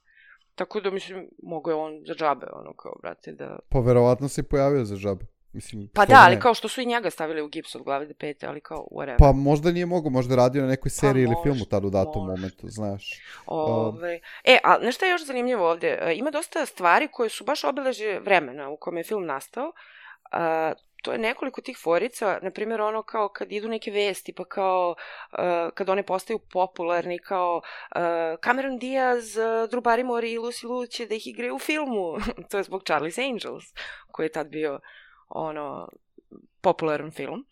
tako da mislim, mogo je on za džabe, kao, brate, da... Pa verovatno se pojavio za džabe. Mislim, pa da, ali kao što su i njega stavili u gips od glave do pete, ali kao whatever. Pa možda nije mogo, možda radio na nekoj seriji ili filmu tad u datom momentu, znaš. A nešto je još zanimljivo ovdje. Ima dosta stvari koje su baš obeležje vremena u kome je film nastao. To je nekoliko tih forica, na primjer ono kao kad idu neke vesti, pa kao kad one postaju popularni, kao Cameron Diaz, Drew Barrymore i Lucy Liu će da ih igraju u filmu. To je zbog Charlie's Angels, koji je tad bio popularan film.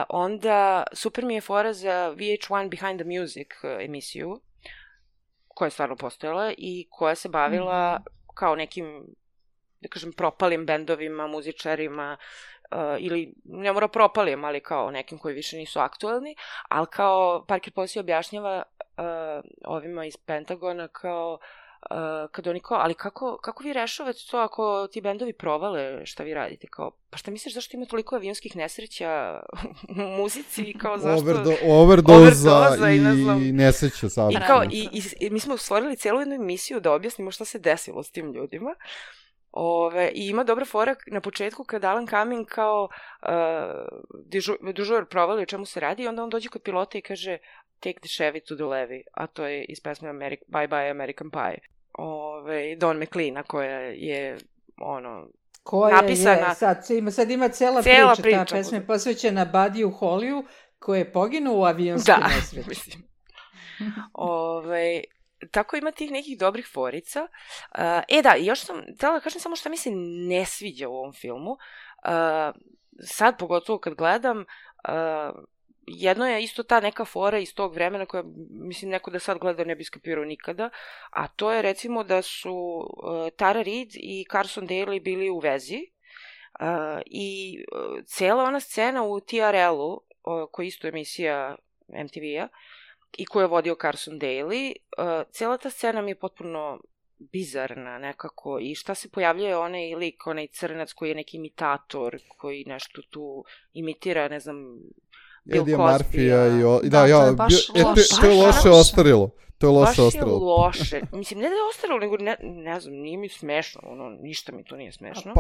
Onda super mi je fora za VH1 Behind the Music emisiju, koja je stvarno postojala i koja se bavila kao nekim, da kažem, propalim bendovima, muzičarima ili ne mora propalim, ali kao nekim koji više nisu aktuelni, ali kao Parker Posey objašnjava ovima iz Pentagona kao kad oni kao, ali kako vi rešavate to ako ti bendovi provale šta vi radite? Kao, pa šta misliš zašto ima toliko avionskih nesreća u muzici? Kao zašto... Overdoza i nesreća sad. I kao, i mi smo stvorili celu jednu emisiju da objasnimo šta se desilo s tim ljudima. I ima dobra fora na početku kad Alan Cumming kao dežur provali o čemu se radi i onda on dođe kod pilota i kaže take the Chevy to the levee, a to je iz pesme Bye Bye American Pie. Don McLeana koja je napisana... Sad ima cela priča. Ta pesma je posvećena Buddy Hollyu koji je poginuo u avionskoj nesreći. Mislim. Tako ima tih nekih dobrih forica. Još sam htjela da kažem samo šta mi se ne sviđa u ovom filmu. Sad, pogotovo kad gledam, jedno je isto ta neka fora iz tog vremena koja, mislim, neko da sad gleda ne bi skapirao nikada, a to je recimo da su Tara Reid i Carson Daly bili u vezi i cijela ona scena u TRL-u, koja je isto emisija MTV-a, i koju je vodio Carson Daly, cijela ta scena mi je potpuno bizarna nekako i šta se pojavljuje onaj lik, onaj crnac koji je neki imitator, koji nešto tu imitira, ne znam, Bill Cosby. To je loše ostarilo. Baš je loše. Mislim, ne da je ostarilo, nego ne znam, nije mi smešno, ništa mi to nije smešno.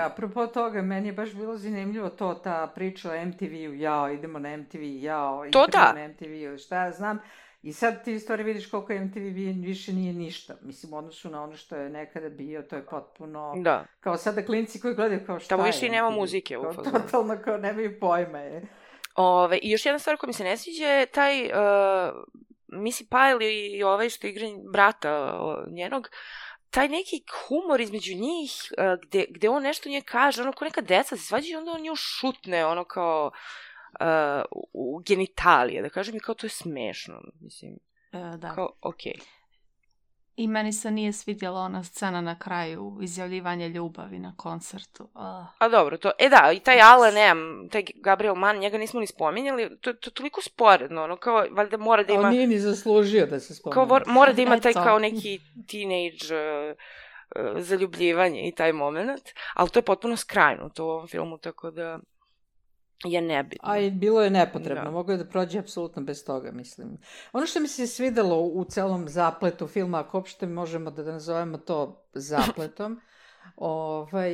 Apropo toga, meni je baš bilo zanimljivo ta priča o MTV-u, idemo na MTV, idemo na MTV-u, šta ja znam. I sad ti u stvari vidiš koliko MTV više nije ništa. Mislim, u odnosu na ono što je nekada bio, to je potpuno... Da. Kao sada klinci koji gledaju kao šta je MTV. Tamo više i nema muzike u fazonu. Totalno kao nemaju pojma je. I još jedna stvar koja mi se ne sviđa je taj Missy Pyle i ovaj što igra brata njenog, taj neki humor između njih, gde on nešto nje kaže, ko neka deca se svađa i onda on nju šutne, kao u genitalije, da kažem, i kao to je smešno, mislim. Da. Kao, okej. I meni se nije svidjela ona scena na kraju, izjavljivanje ljubavi na koncertu. A dobro, to, i taj Alan, taj Gabriel Mann, njega nismo ni spominjali, to je toliko sporedno, kao, valjda mora da ima... On nije ni zaslužio da se spominje. Kao, mora da ima taj kao neki teenage zaljubljivanje i taj moment, ali to je potpuno skrajnuto u ovom filmu, tako da je nebitno. A i bilo je nepotrebno, moglo je da prođe apsolutno bez toga, mislim. Ono što mi se svidelo u celom zapletu filma, ako uopšte možemo da nazovemo to zapletom,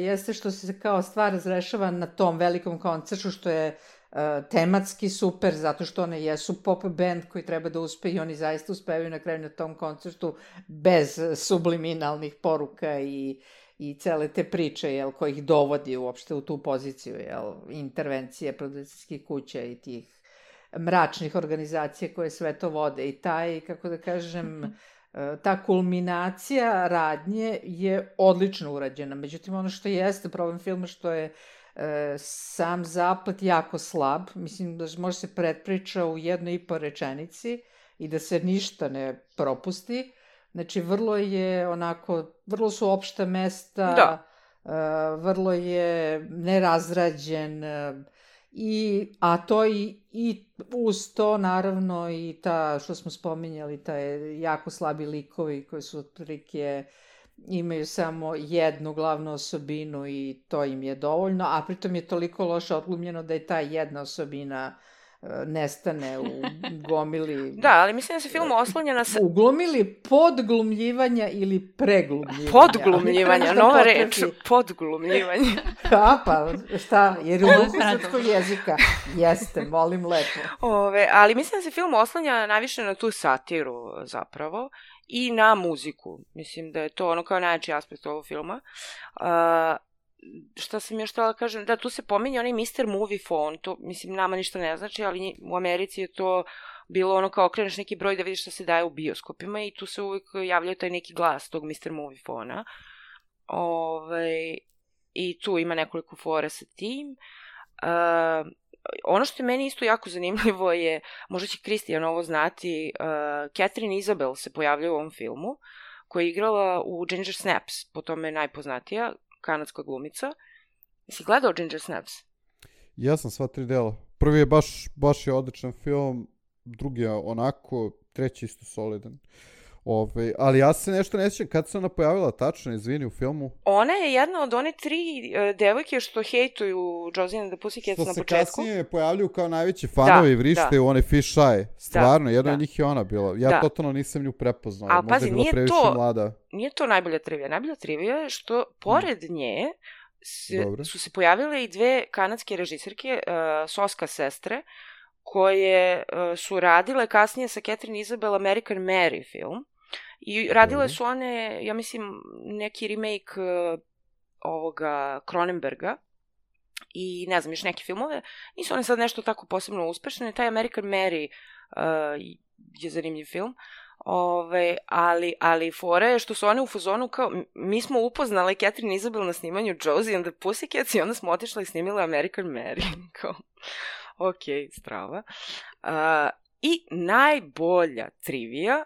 jeste što se kao stvar razrešava na tom velikom koncertu, što je tematski super, zato što one jesu pop band koji treba da uspe i oni zaista uspevaju na kraju na tom koncertu bez subliminalnih poruka i cele te priče, ko ih dovodi uopšte u tu poziciju, intervencije producentskih kuća i tih mračnih organizacija koje sve to vode. I taj, kako da kažem, ta kulminacija radnje je odlično urađena. Međutim, ono što jeste problem filma, što je sam zaplet jako slab. Mislim da može se pretpriča u 1,5 rečenici i da se ništa ne propusti. Znači, vrlo su opšta mesta, vrlo je nerazrađen, a to i uz to, naravno, i ta, što smo spominjali, taj jako slabi likovi koji su otprilike imaju samo jednu glavnu osobinu i to im je dovoljno, a pritom je toliko loše odglumljeno da je ta jedna osobina nestane u gomili... Da, ali mislim da se film oslanja na... U gomili podglumljivanja ili preglumljivanja. Podglumljivanja, nova reč, podglumljivanje. Pa šta, jer u duhu srpskog jezika jeste, molim lepo. Ali mislim da se film oslanja najviše na tu satiru zapravo i na muziku. Mislim da je to kao najjači aspekt ovog filma. Šta sam još htjela kažem, da, tu se pominje onaj Mr. Movie Phone, to, mislim, nama ništa ne znači, ali u Americi je to bilo kao okreneš neki broj da vidiš šta se daje u bioskopima i tu se uvijek javljaju taj neki glas tog Mr. Movie Phone-a. I tu ima nekoliko fora sa tim. Ono što je meni isto jako zanimljivo je, možda će Kristijan ovo znati, Catherine Isabel se pojavlja u ovom filmu, koja je igrala u Ginger Snaps, po tome je najpoznatija, kanadska glumica. Si gledao Ginger Snaps? Ja sam sva 3 dela. Prvi je baš je odličan film, drugi je onako, treći isto solidan. Ali ja se nešto ne sjećam kad se ona pojavila tačno, izvini, u filmu. Ona je jedna od one 3 devojke što hejtuju Josie and the Pussycats na početku. Što se kasnije pojavljuju kao najveći fanovi i vrište u one fish eye. Stvarno, jedna od njih je ona bila. Ja totalno nisam nju prepoznao. Ali pazi, mlada. Nije to najbolja trivija. Najbolja trivija je što pored nje su se pojavile i 2 kanadske režiserke, soska sestre, koje su radile kasnije sa Catherine Isabel American Mary film. I radile su one, ja mislim, neki remake ovoga Cronenberga i ne znam, još neke filmove. Nisu one sad nešto tako posebno uspešne. Taj American Mary je zanimljiv film. Ali fora je što su one u fazonu kao, mi smo upoznali Catherine Isabel na snimanju Josie and the Pussycats i onda smo otišli i snimili American Mary. Kao, ok, strava. I najbolja trivija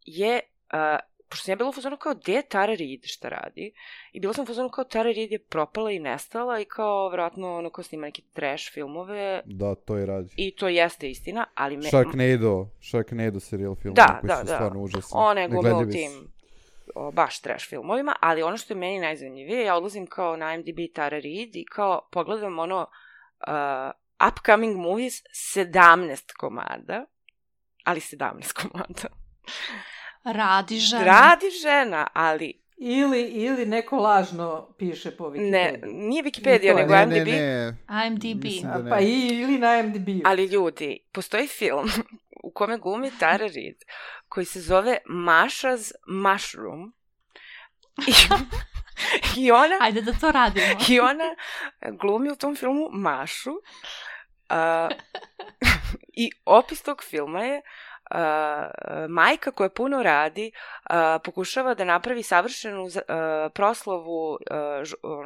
je, pošto sam ja bila u fazonu kao, gde je Tara Reid šta radi? I bila sam u fazonu kao, Tara Reid je propala i nestala i kao, vjerojatno, ono kao snima neke trash filmove. Da, to i radi. I to jeste istina, ali... Sharknado serial film. Da. Stvarno užasni. Ona je glumila u tim baš trash filmovima, ali ono što je meni najzanimljivije, ja odlazim kao na IMDb Tara Reid i kao pogledam ono upcoming movies 17 komada, ali 17 komada. Radi žena, ali... Ili neko lažno piše po Wikipediji. Ne, nije Wikipedia, nego IMDb. IMDb. Pa ili na IMDb. Ali ljudi, postoji film u kome glumi Tara Reid, koji se zove Masha's Mushroom. I ona... Ajde da to radimo. I ona glumi u tom filmu Mašu. I opis tog filma je majka koja puno radi, pokušava da napravi savršenu proslavu,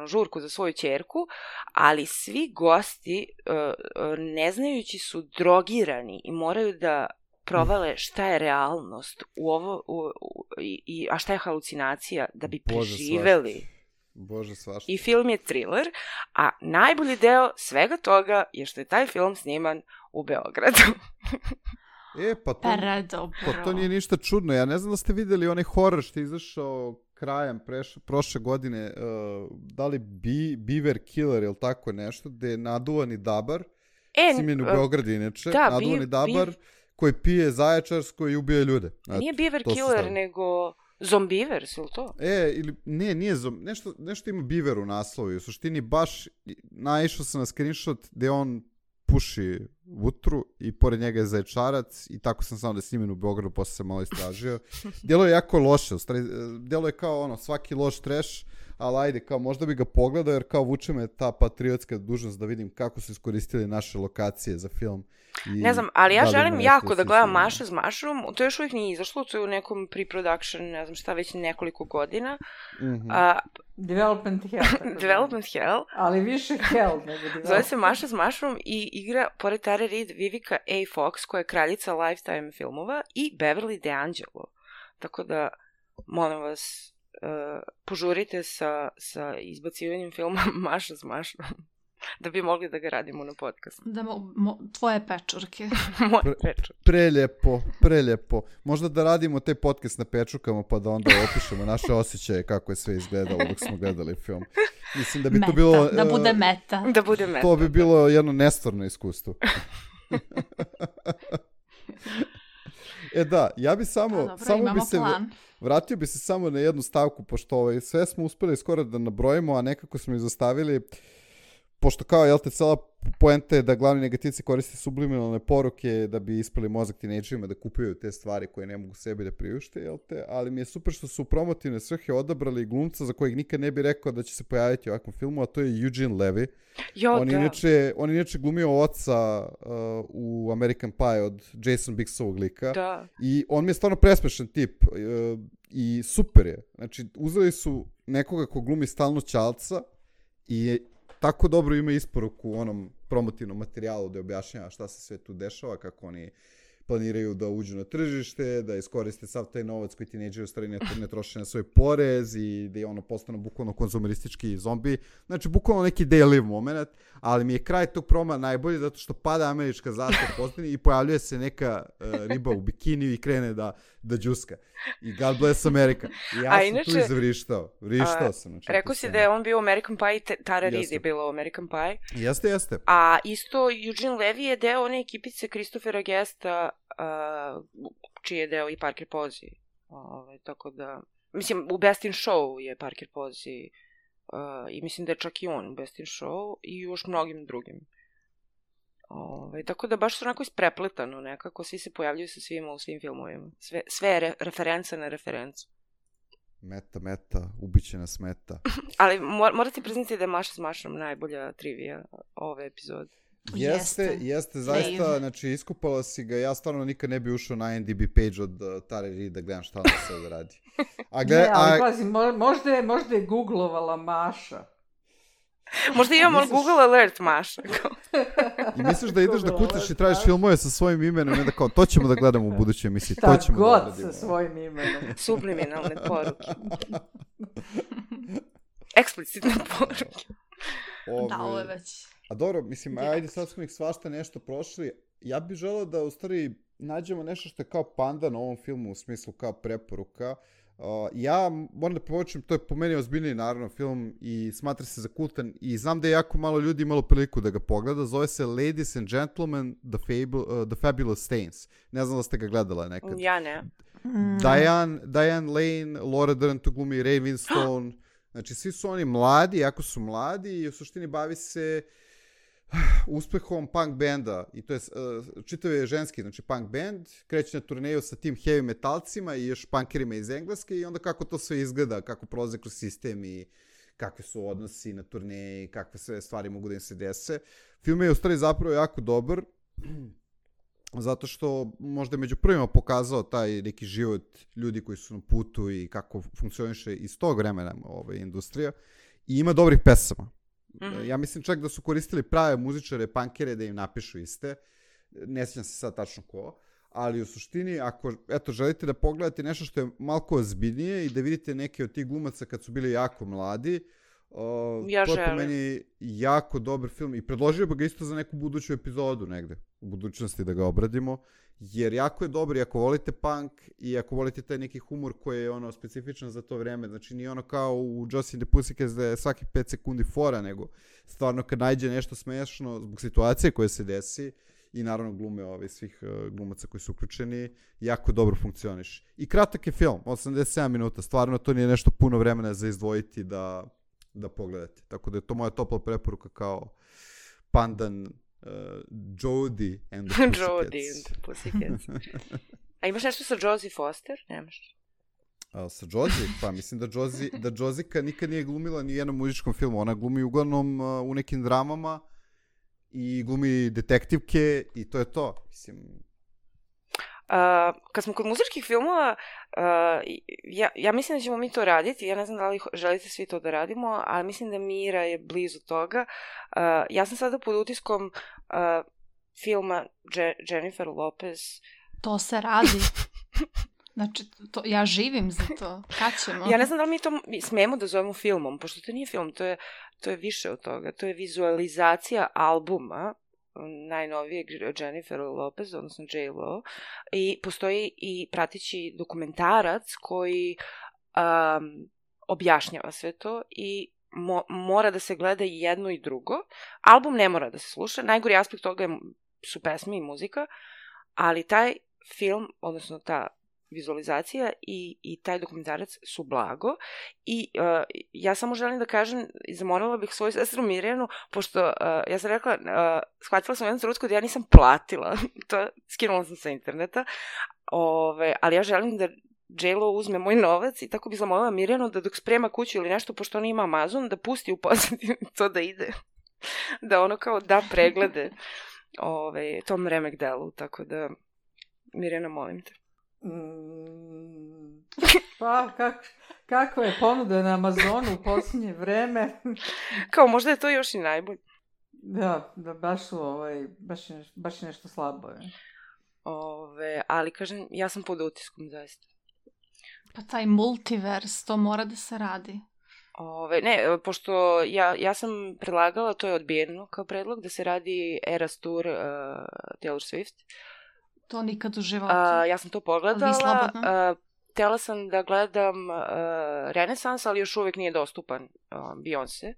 žurku za svoju ćerku, ali svi gosti, ne znajući, su drogirani i moraju da provale šta je realnost a šta je halucinacija da bi preživeli. Bože, svašta. I film je thriller, a najbolji deo svega toga je što je taj film sniman u Beogradu. Pa to nije ništa čudno. Ja ne znam da ste vidjeli onaj horor što je izašao krajem prošle godine, da li Beaver Killer ili tako nešto, gde je naduvani dabar, snimljen u Beogradu inače, naduvani dabar koji pije zaječarsko i ubije ljude. Nije Beaver Killer, nego Zombivers, ili to? Nije nešto ima Beaver u naslovu. U suštini baš naišao sam na screenshot gde on puši vutru i pored njega je zaječarac i tako sam samo da je snimljen u Beogradu, posle sam malo istražio. Djelo je jako loše, djelo je kao svaki loš trash, ali ajde, kao možda bi ga pogledao jer kao vuče me ta patriotska dužnost da vidim kako su iskoristili naše lokacije za film. Ne znam, ali ja želim jako da gledam Masha's Mushroom, to još uvijek nije izašlo, to je u nekom pre-production, ne znam šta, već nekoliko godina. Development Hell. Ali više Hell nego Development. Zove se Masha's Mushroom i igra, pored Tara Reid, Vivica A. Fox, koja je kraljica Lifetime filmova, i Beverly DeAngelo. Tako da, molim vas, požurite sa izbacivanjem filma Masha's Mushroom. Da bi mogli da ga radimo na podcastu. Tvoje pečurke. Moje pečurke. Preljepo. Možda da radimo taj podcast na pečurkama pa da onda opišemo naše osjećaje kako je sve izgledalo dok smo gledali film. Mislim da bi to bilo... Da bude meta. Da bude meta. To bi bilo jedno nestvarno iskustvo. Da, ja bi samo bi se... Vratio bi se samo na jednu stavku, pošto sve smo uspeli skoro da nabrojimo, a nekako smo izostavili... Pošto kao, cela poenta je da glavni negativci koriste subliminalne poruke da bi ispali mozak tinejdžerima da kupuju te stvari koje ne mogu sebi da priušte, ali mi je super što su u promotivne svrhe odabrali glumca za kojeg nikad ne bi rekao da će se pojaviti u ovakvom filmu, a to je Eugene Levy. On inače glumio oca u American Pie od Jason Biggsovog lika. Da. I on mi je stvarno presmešan tip i super je. Znači, uzeli su nekoga ko glumi stalno ćalca i tako dobro ima isporuku u onom promotivnom materijalu da objašnjava šta se sve tu dešava, kako oni planiraju da uđu na tržište, da iskoriste sav taj novac koji tinejdžeri u stvari ne troše na svoj porez i da je ono postano bukvalno konzumeristički zombi. Znači, bukvalno neki day-live moment, ali mi je kraj tog proma najbolji zato što pada američka zastava pozdini i pojavljuje se neka riba u bikiniju i krene da džuska. I God bless America. I ja sam tu izvrištao. Vrištao sam. Znači, rekao si da je on bio u American Pie i Tara Reid je bila u American Pie. Jeste. A isto Eugene Levy je deo one ekipice Christophera Guesta, čiji je deo i Parker Posey. Tako da, mislim, u Best in Show je Parker Posey i mislim da je čak i on u Best in Show i još mnogim drugim. Tako da baš su onako isprepletano nekako, svi se pojavljuju sa svima u svim filmovima. Sve je referenca na referencu. Meta, ubiće nas meta. Ali morate priznati da je Maša s Mašom najbolja trivija ove epizode. Jeste, zaista, znači iskupala si ga, ja stvarno nikad ne bi ušao na IMDb page od Tare Reid da gledam šta ona sve radi. Ali pazi, možda je googlovala Maša. Možda imamo Google alert, Maša. I misliš da ideš da kucaš i tražiš filmove sa svojim imenom i onda kao, to ćemo da gledamo u budućoj emisiji, to ćemo da odradimo. Šta god sa svojim imenom. Subliminalne poruke. Eksplicitne poruke. Da, ovo je već... A dobro, mislim, ajde sad smo ih svašta nešto prošli. Ja bih želeo da u stvari nađemo nešto što je kao pandan ovom filmu u smislu kao preporuka. Ja moram da povučem, to je po meni ozbiljniji naravno film i smatra se za kultan i znam da je jako malo ljudi imalo priliku da ga pogleda. Zove se Ladies and Gentlemen, The Fabulous Stains. Ne znam da ste ga gledala nekad. Ja ne. Diane Lane, Laura Dern tu glumi, Ray Winstone. Znači svi su oni mladi, jako su mladi i u suštini bavi se uspehom punk benda i to je čitav je ženski, znači punk band, kreće na turneju sa tim heavy metalcima i još punkerima iz Engleske i onda kako to sve izgleda, kako prolaze kroz sistem i kakve su odnosi na turneji, kakve sve stvari mogu da im se dese. Film je u stvari zapravo jako dobar, zato što možda je među prvima pokazao taj neki život ljudi koji su na putu i kako funkcioniše iz tog vremena industrija i ima dobrih pesama. Ja mislim čak da su koristili prave muzičare, punkere da im napišu iste. Ne sjećam se sad tačno ko. Ali u suštini, ako želite da pogledate nešto što je malko ozbiljnije i da vidite neke od tih glumaca kad su bili jako mladi, to je po meni jako dobar film i predložio bih ga isto za neku buduću epizodu negde u budućnosti da ga obradimo, jer jako je dobar i ako volite punk i ako volite taj neki humor koji je ono specifičan za to vreme, znači nije ono kao u Josie and the Pussycats da je svaki 5 sekundi fora, nego stvarno kad nađe nešto smešno zbog situacije koje se desi i naravno glume svih glumaca koji su uključeni, jako dobro funkcioniš. I kratak je film, 87 minuta, stvarno to nije nešto puno vremena za izdvojiti da pogledate. Tako da je to moja topla preporuka kao pandan Jodie and the Pussycats. Jodie and the Pussycats. A imaš nešto sa Josie Foster? Nemaš? Sa Josie? Pa mislim da Josika nikad nije glumila ni u jednom muzičkom filmu. Ona glumi uglavnom u nekim dramama i glumi detektivke i to je to. Mislim... Kad smo kod muzičkih filmova, ja mislim da ćemo mi to raditi, ja ne znam da li želite svi to da radimo, ali mislim da Mira je blizu toga. Ja sam sada pod utiskom filma Jennifer Lopez. To se radi. Znači, ja živim za to. Kad ćemo? Ja ne znam da li mi to smemo da zovemo filmom, pošto to nije film, to je više od toga. To je vizualizacija albuma najnovijeg Jennifer Lopez, odnosno J.Lo, i postoji i prateći dokumentarac koji objašnjava sve to i mora da se gleda i jedno i drugo. Album ne mora da se sluša, najgori aspekt toga su pesme i muzika, ali taj film, odnosno ta vizualizacija i taj dokumentarac su blago i ja samo želim da kažem i zamolila bih svoju sestru Mirjanu, pošto ja sam rekla, shvatila sam jednu trenutku da ja nisam platila, to skinula sam sa interneta, ali ja želim da J.Lo uzme moj novac i tako bih zamolila Mirjanu da dok sprema kuću ili nešto, pošto ona ima Amazon, da pusti u pozadini to da ide, da ono kao da preglede tom remek delu, tako da Mirjana, molim te. Pa, kako je ponuda na Amazonu u posljednje vreme. Kao, možda je to još i najbolje. Da, baš su, baš je nešto slabo. Ali kažem, ja sam pod utiskom zaista. Pa taj multivers, to mora da se radi. Ne, pošto ja sam predlagala, to je odbijeno kao predlog, da se radi Eras Tour Taylor Swift. To nikad u životu. Ja sam to pogledala. Htjela sam da gledam Renesans, ali još uvijek nije dostupan Beyoncé.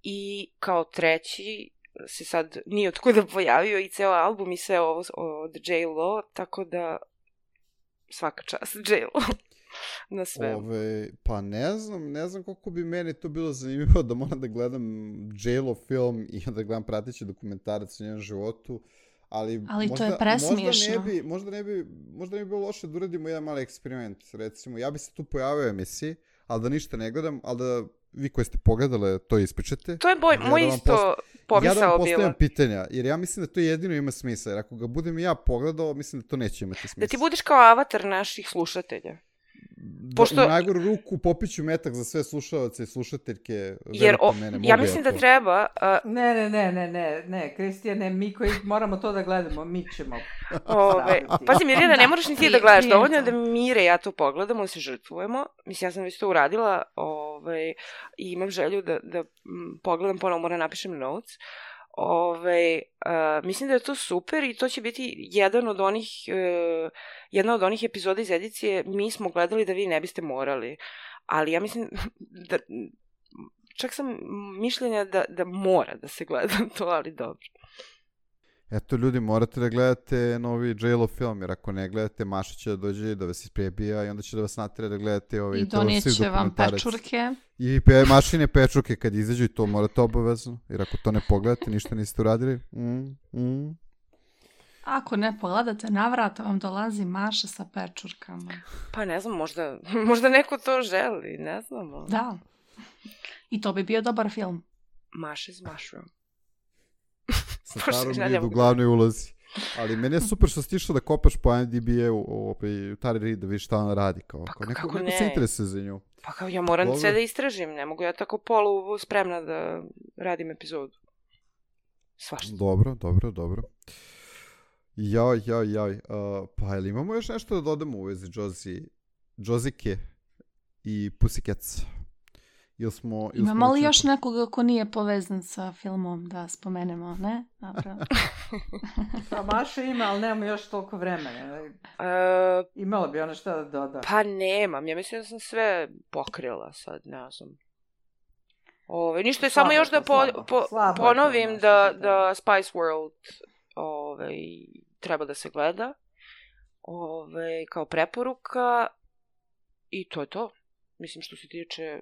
I kao treći se sad nije otkuda pojavio i ceo album i sve ovo od J.Lo, tako da svaka čast J.Lo na sve. Pa ne znam koliko bi meni to bilo zanimljivo da moram da gledam J.Lo film i da gledam prateći dokumentarac o njenom životu. Ali možda, to je presmiješno. Možda ne bi bilo loše da uradimo jedan mali eksperiment. Recimo, ja bi se tu pojavio u emisiji, ali da ništa ne gledam, ali da vi koji ste pogledali to ispričate. To je moj isto pomisao bila. Ja da vam postavljam pitanja, jer ja mislim da to jedino ima smisla. Jer ako ga budem ja pogledao, mislim da to neće imati smisla. Da ti budeš kao avatar naših slušatelja. Pošto... U najgoru ruku popiću metak za sve slušalce i slušateljke. Jer ja mislim da treba... Ne, Kristijane, mi koji moramo to da gledamo, mi ćemo Pazi, Mirjana, ne moraš ni ti da gledaš, dovoljno je da Mire ja to pogledamo, da se žrtvujemo. Mislim, ja sam već to uradila i imam želju da pogledam ponovo, moram napišem notes. Mislim da je to super i to će biti jedna od onih epizoda iz edicije mi smo gledali da vi ne biste morali, ali ja mislim da čak sam mišljenja da mora da se gleda to, ali dobro. Eto, ljudi, morate da gledate novi J.Lo film, jer ako ne gledate, Maša će da dođe da vas isprebija i onda će da vas natjera da gledate i donijeće vam pečurke. I mašine pečurke kad izađu i to morate obavezno, jer ako to ne pogledate, ništa niste uradili. Ako ne pogledate, navrata vam dolazi Maša sa pečurkama. Pa ne znam, možda neko to želi, ne znam. Da. I to bi bio dobar film. Maša's Mushroom. Sa Tarom Reid u glavnoj ulozi. Ali meni je super što si išao da kopaš po IMDb-u Tari Reid da vidiš šta ona radi. Kao neko se interesuje za nju. Pa kao ja moram sve da istražim. Ne mogu ja tako polu spremna da radim epizodu. Svašta. Dobro. Jaj. Pa ili imamo još nešto da dodamo u vezi Josike i Pussycats? Imamo li još nekoga ko nije povezan sa filmom da spomenemo, ne? Dobro. Pa Maša ima, ali nemamo još toliko vremena. Imala bi ona šta da doda. Pa nemam, ja mislim da sam sve pokrila sad, ne znam. Ništa je samo još da ponovim da Spice World treba da se gleda kao preporuka i to je to. Mislim što se tiče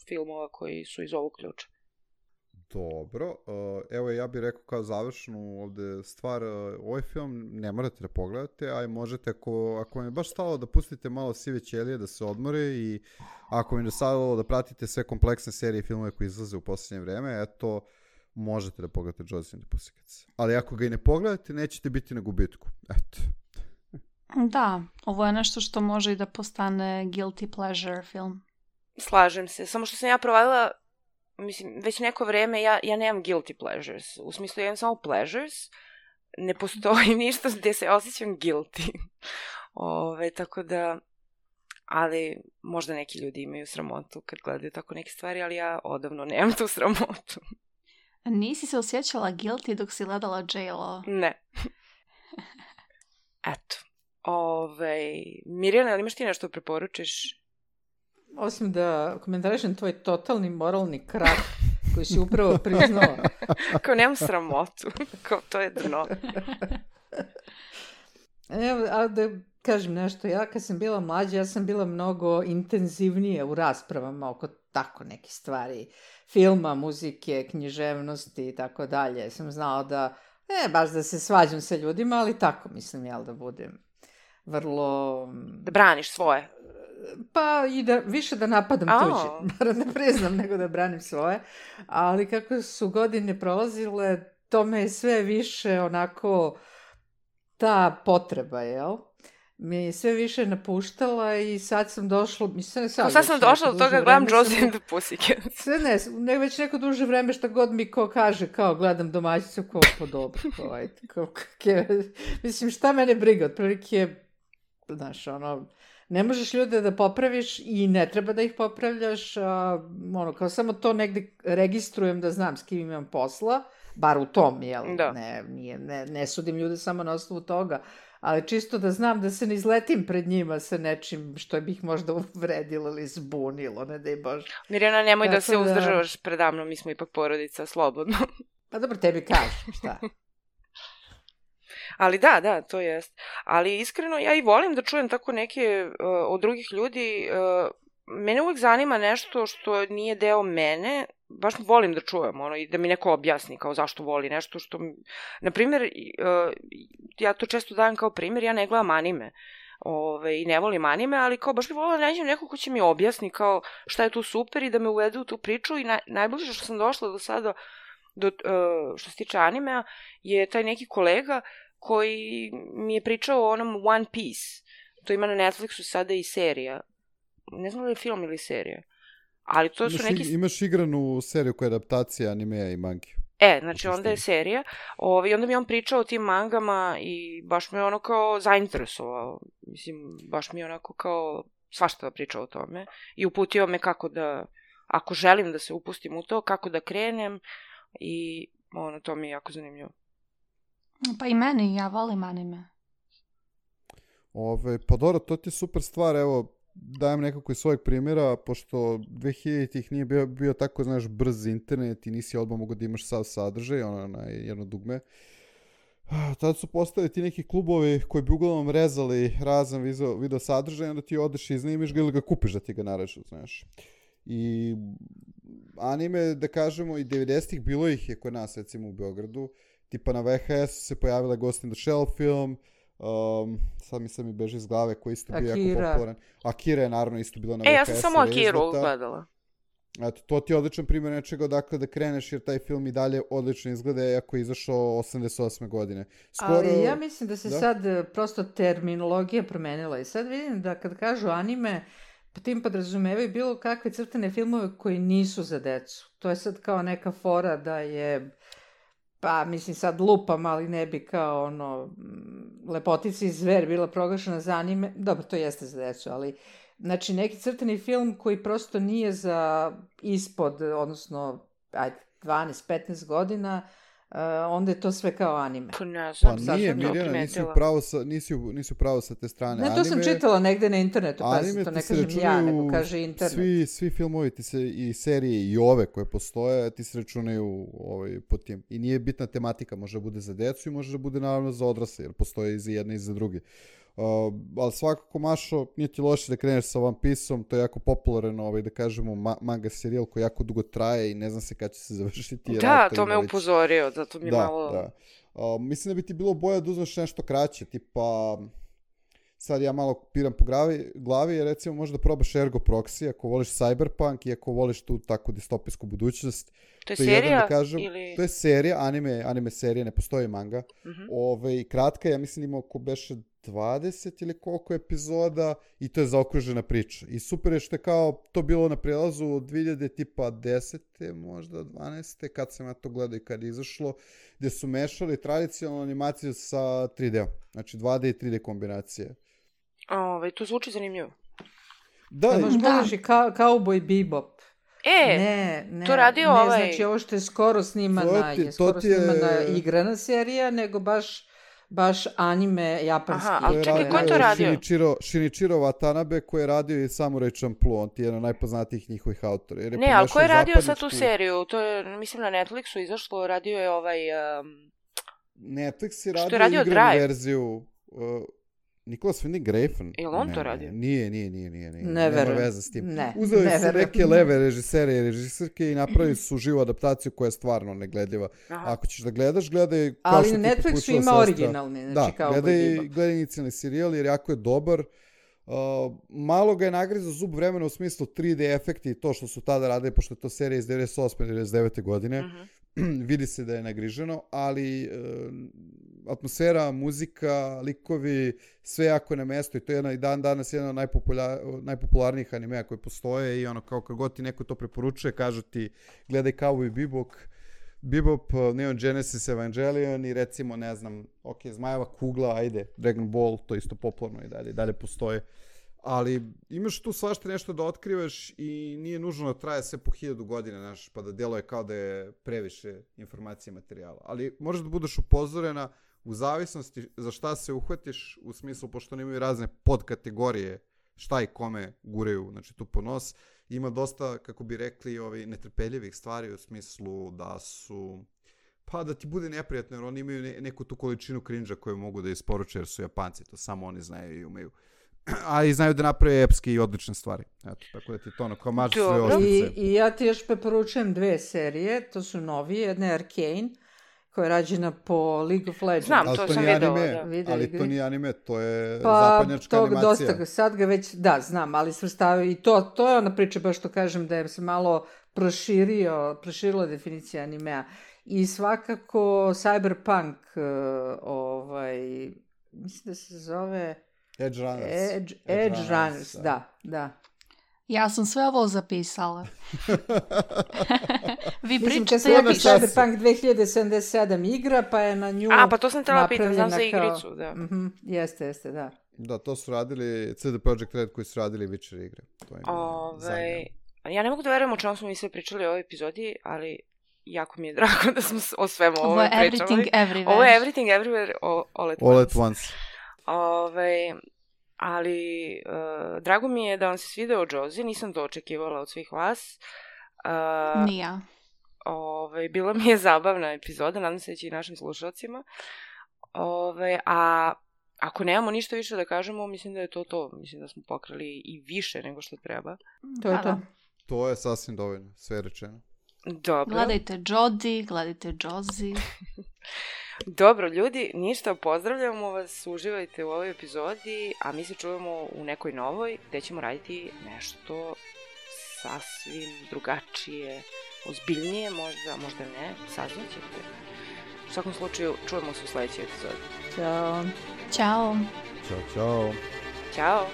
filmova koji su iz ovog ključa. Dobro. Evo ja bih rekao kao završnu ovde stvar, ovaj film ne morate da pogledate, a možete ako vam je baš stalo da pustite malo sive ćelije da se odmore i ako vam je stalo da pratite sve kompleksne serije i filmove koji izlaze u posljednje vreme, eto, možete da pogledate Josie and the Pussycats. Ali ako ga i ne pogledate, nećete biti na gubitku. Eto. Da, ovo je nešto što može i da postane guilty pleasure film. Slažem se, samo što sam ja provalila, mislim, već neko vreme ja nemam guilty pleasures. U smislu, ja imam samo pleasures. Ne postoji ništa gdje se osjećam guilty. Tako da, ali možda neki ljudi imaju sramotu kad gledaju tako neke stvari, ali ja odavno nemam tu sramotu. Nisi se osjećala guilty dok si gledala J.Lo? Ne. Eto. Mirjana, ali imaš ti nešto preporučiš? Osim da komentarišem tvoj totalni moralni krah koji si upravo priznao. Kao nemam sramotu. Kao to je dno. Evo, a da kažem nešto, ja kad sam bila mlađa, ja sam bila mnogo intenzivnije u raspravama oko tako neke stvari. Filma, muzike, književnosti i tako dalje. Sam znala da, baš da se svađam sa ljudima, ali tako mislim, da budem vrlo... Da braniš svoje. Pa i više da napadam tuđe, bar ne priznam nego da branim svoje, ali kako su godine prolazile, to me je sve više onako ta potreba, mi je sve više napuštala i sad sam došla, mislim, Sad sam došla do toga, gledam Josie and the Pussycats. Sve ne, već neko duže vreme šta god mi ko kaže, kao gledam domaćicu, kao po dobro, kao ajde, mislim, šta mene briga, otprilike, znaš, ono, ne možeš ljude da popraviš i ne treba da ih popravljaš, ono, kao samo to negde registrujem da znam s kim imam posla, bar u tom, jel? Da. Ne sudim ljude samo na osnovu toga, ali čisto da znam da se ne izletim pred njima sa nečim što bih možda uvredilo ili zbunilo, ne daj Bože. Mirjana, nemoj da se uzdržavaš predamno, mi smo ipak porodica, slobodno. Pa dobro, tebi kažem, šta? Ali da, to jest. Ali iskreno, ja i volim da čujem tako neke od drugih ljudi. Mene uvek zanima nešto što nije deo mene, baš volim da čujem ono, i da mi neko objasni kao zašto voli nešto što... Naprimjer, ja to često dajem kao primjer, ja ne gledam anime i ne volim anime, ali kao baš bi volila da nađem neko ko će mi objasni kao šta je tu super i da me uvede u tu priču i najbliže što sam došla do sada, što se tiče animea, je taj neki kolega koji mi je pričao o onom One Piece. To ima na Netflixu sada i serija. Ne znam da je film ili serija. Ali to su neki... Imaš igranu seriju koja je adaptacija animea i mangi. Znači onda je serija. I onda mi on pričao o tim mangama i baš me ono kao zainteresovao. Mislim, baš mi onako kao svašta pričao o tome. I uputio me kako da, ako želim da se upustim u to, kako da krenem. I to mi je jako zanimljivo. Pa i meni, ja volim anime. Pa dobro, to ti je super stvar, evo, dajem nekako iz svojeg primjera, pošto 2000-ih nije bio tako, znaš, brz internet i nisi odmah mogo da imaš sav sadržaj, na jedno dugme. Tada su postali ti neki klubovi koji bi uglavnom rezali razan video sadržaj, onda ti odeš i iznimiš ga ili ga kupiš da ti ga narežu, znaš. I anime, da kažemo, i 90-ih bilo ih je kod nas, recimo u Beogradu, tipa na VHS se pojavila Ghost in the Shell film, sad mi beže iz glave, koji isto bio jako popularan. Akira je naravno isto bila na VHS. Ja sam samo Akiru gledala. Eto, to ti je odličan primjer nečega odakle da kreneš, jer taj film i dalje odlično izgleda, iako je izašao 88. godine. Ali ja mislim da se sad prosto terminologija promenila i sad vidim da kad kažu anime, po tim podrazumevaju bilo kakve crtane filmove koji nisu za decu. To je sad kao neka fora da je... Pa, mislim, sad lupam, ali ne bi kao Lepotica i zver bila proglašena za anime. Dobro, to jeste za decu, ali... Znači, neki crtani film koji prosto nije za ispod, odnosno, 12-15 godina, onda je to sve kao anime. Pa nije, Mirjana, nisi pravo sa te strane. Ne, to sam čitala negde na internetu, pa to ne kažem ja, nego kaže internet. Svi filmovi i serije i ove koje postoje, ti se računaju po tim. I nije bitna tematika, može da bude za decu i može da bude naravno za odrasle, jer postoje i za jedne i za druge. Ali svakako, Mašo, nije ti loše da kreneš sa One Piece-om, to je jako popularan, da kažemo, manga serijal koji jako dugo traje i ne znam se kada će se završiti. Da, to me upozorio, zato mi malo... Da. Mislim da bi ti bilo bolje da uzmeš nešto kraće, tipa... Sad ja malo piram po glavi, jer recimo možda probaš Ergo Proxy, ako voliš Cyberpunk i ako voliš tu tako distopijsku budućnost. To je serija? Da kažem, to je serija, anime serija, ne postoji manga. Kratka, ja mislim ima oko beše 20 ili koliko epizoda i to je zaokružena priča. I super je što je kao to bilo na prelazu od 2010. možda 12. kad sam ja to gledao i kad je izašlo, gde su mešali tradicionalnu animaciju sa 3D. Znači 2D i 3D kombinacije. To zvuči zanimljivo. Da, možeš gledaš i Cowboy Bebop. To radio ne, znači ovo što je skoro snimana igrana serija, nego baš anime japanski. Aha, ali čekaj, ko je to radio? Shinichiro Watanabe, koji je radio i Samurai Champloo, on ti je jedan od najpoznatijih njihovih autora. Ne, ali ko je radio sad tu seriju? To je, mislim, na Netflixu izašlo, radio je Netflix je radio igranu verziju... Nicholas Winding Refn. Je li on to radio? Nije. Ne verujem. Nema veze s tim. Uzeli su neke leve režisere i režisirke i napravili su živu adaptaciju koja je stvarno negledljiva. Ako ćeš da gledaš, gledaj... Ali na Netflixu ima originalni. Znači da, gledaj inicijalni serijal jer jako je dobar. Malo ga je nagrizao zub vremena u smislu 3D efekti i to što su tada radili, pošto je to serija iz 98. 99. godine. Vidi se da je nagriženo, ali atmosfera, muzika, likovi, sve jako na mesto i to je i dan danas jedan od najpopularnijih animea koji postoje i ono kao kad god ti neko to preporučuje, kažu ti gledaj Cowboy Bebop, Neon Genesis Evangelion i recimo, ne znam, Zmajeva kugla, ajde, Dragon Ball, to je isto popularno i dalje postoje. Ali imaš tu svašta nešto da otkrivaš i nije nužno da traje sve po 1000 godina, znaš, pa da djeluje kao da je previše informacije i materijala. Ali možeš da budeš upozorena u zavisnosti za šta se uhvatiš, u smislu, pošto oni imaju razne podkategorije šta i kome guraju, znači tu po nos. Ima dosta, kako bi rekli, netrpeljivih stvari u smislu da su, pa da ti bude neprijatno, jer oni imaju neku tu količinu cringe-a koju mogu da isporuče jer su Japanci, to samo oni znaju i umeju. A i znaju da naprave epske i odlične stvari. Eto, tako da ti to ono kao maže sve oštrice. I ja ti još preporučujem 2 serije, to su novi, jedna je Arcane, koja je rađena po League of Legends. Znam, to sam videla. Ali to nije anime, to je zapadnjačka animacija. Dosta, sad ga već, da, znam, ali svrstavaju i to je ona priča, baš što kažem, da je se malo proširila definicija animea. I svakako Cyberpunk, mislim da se zove... Edge Runners, da. Ja sam sve ovo zapisala. Vi mislim, pričate, ja pišem. Cyberpunk 2077 igra, pa je na nju pa to sam tela pitan, znam za igricu, da. Jeste, da. Da, to su radili CD Projekt Red koji su radili Witcher igre. To je ja ne mogu da verujem o čemu smo mi sve pričali u ovoj epizodi, ali jako mi je drago da smo o svemu ovo pričali. Everything Everywhere. Ovo je Everything Everywhere all at once. Ali drago mi je da vam se svideo Josie, nisam to očekivala od svih vas. Nija. Bila mi je zabavna epizoda, nadam se da će i našim slušalcima. A ako nemamo ništa više da kažemo, mislim da je to. Mislim da smo pokrali i više nego što treba. To je to. To je sasvim dovoljno, sve rečeno. Dobro. Gledajte Jodie, gledajte Josie. Dobro, ljudi, ništa, pozdravljamo vas, uživajte u ovoj epizodi, a mi se čujemo u nekoj novoj, gde ćemo raditi nešto sasvim drugačije, ozbiljnije, možda ne, saznaćete. U svakom slučaju, čujemo se u sledećoj epizodi. Ćao. Ćao. Ćao. Ćao.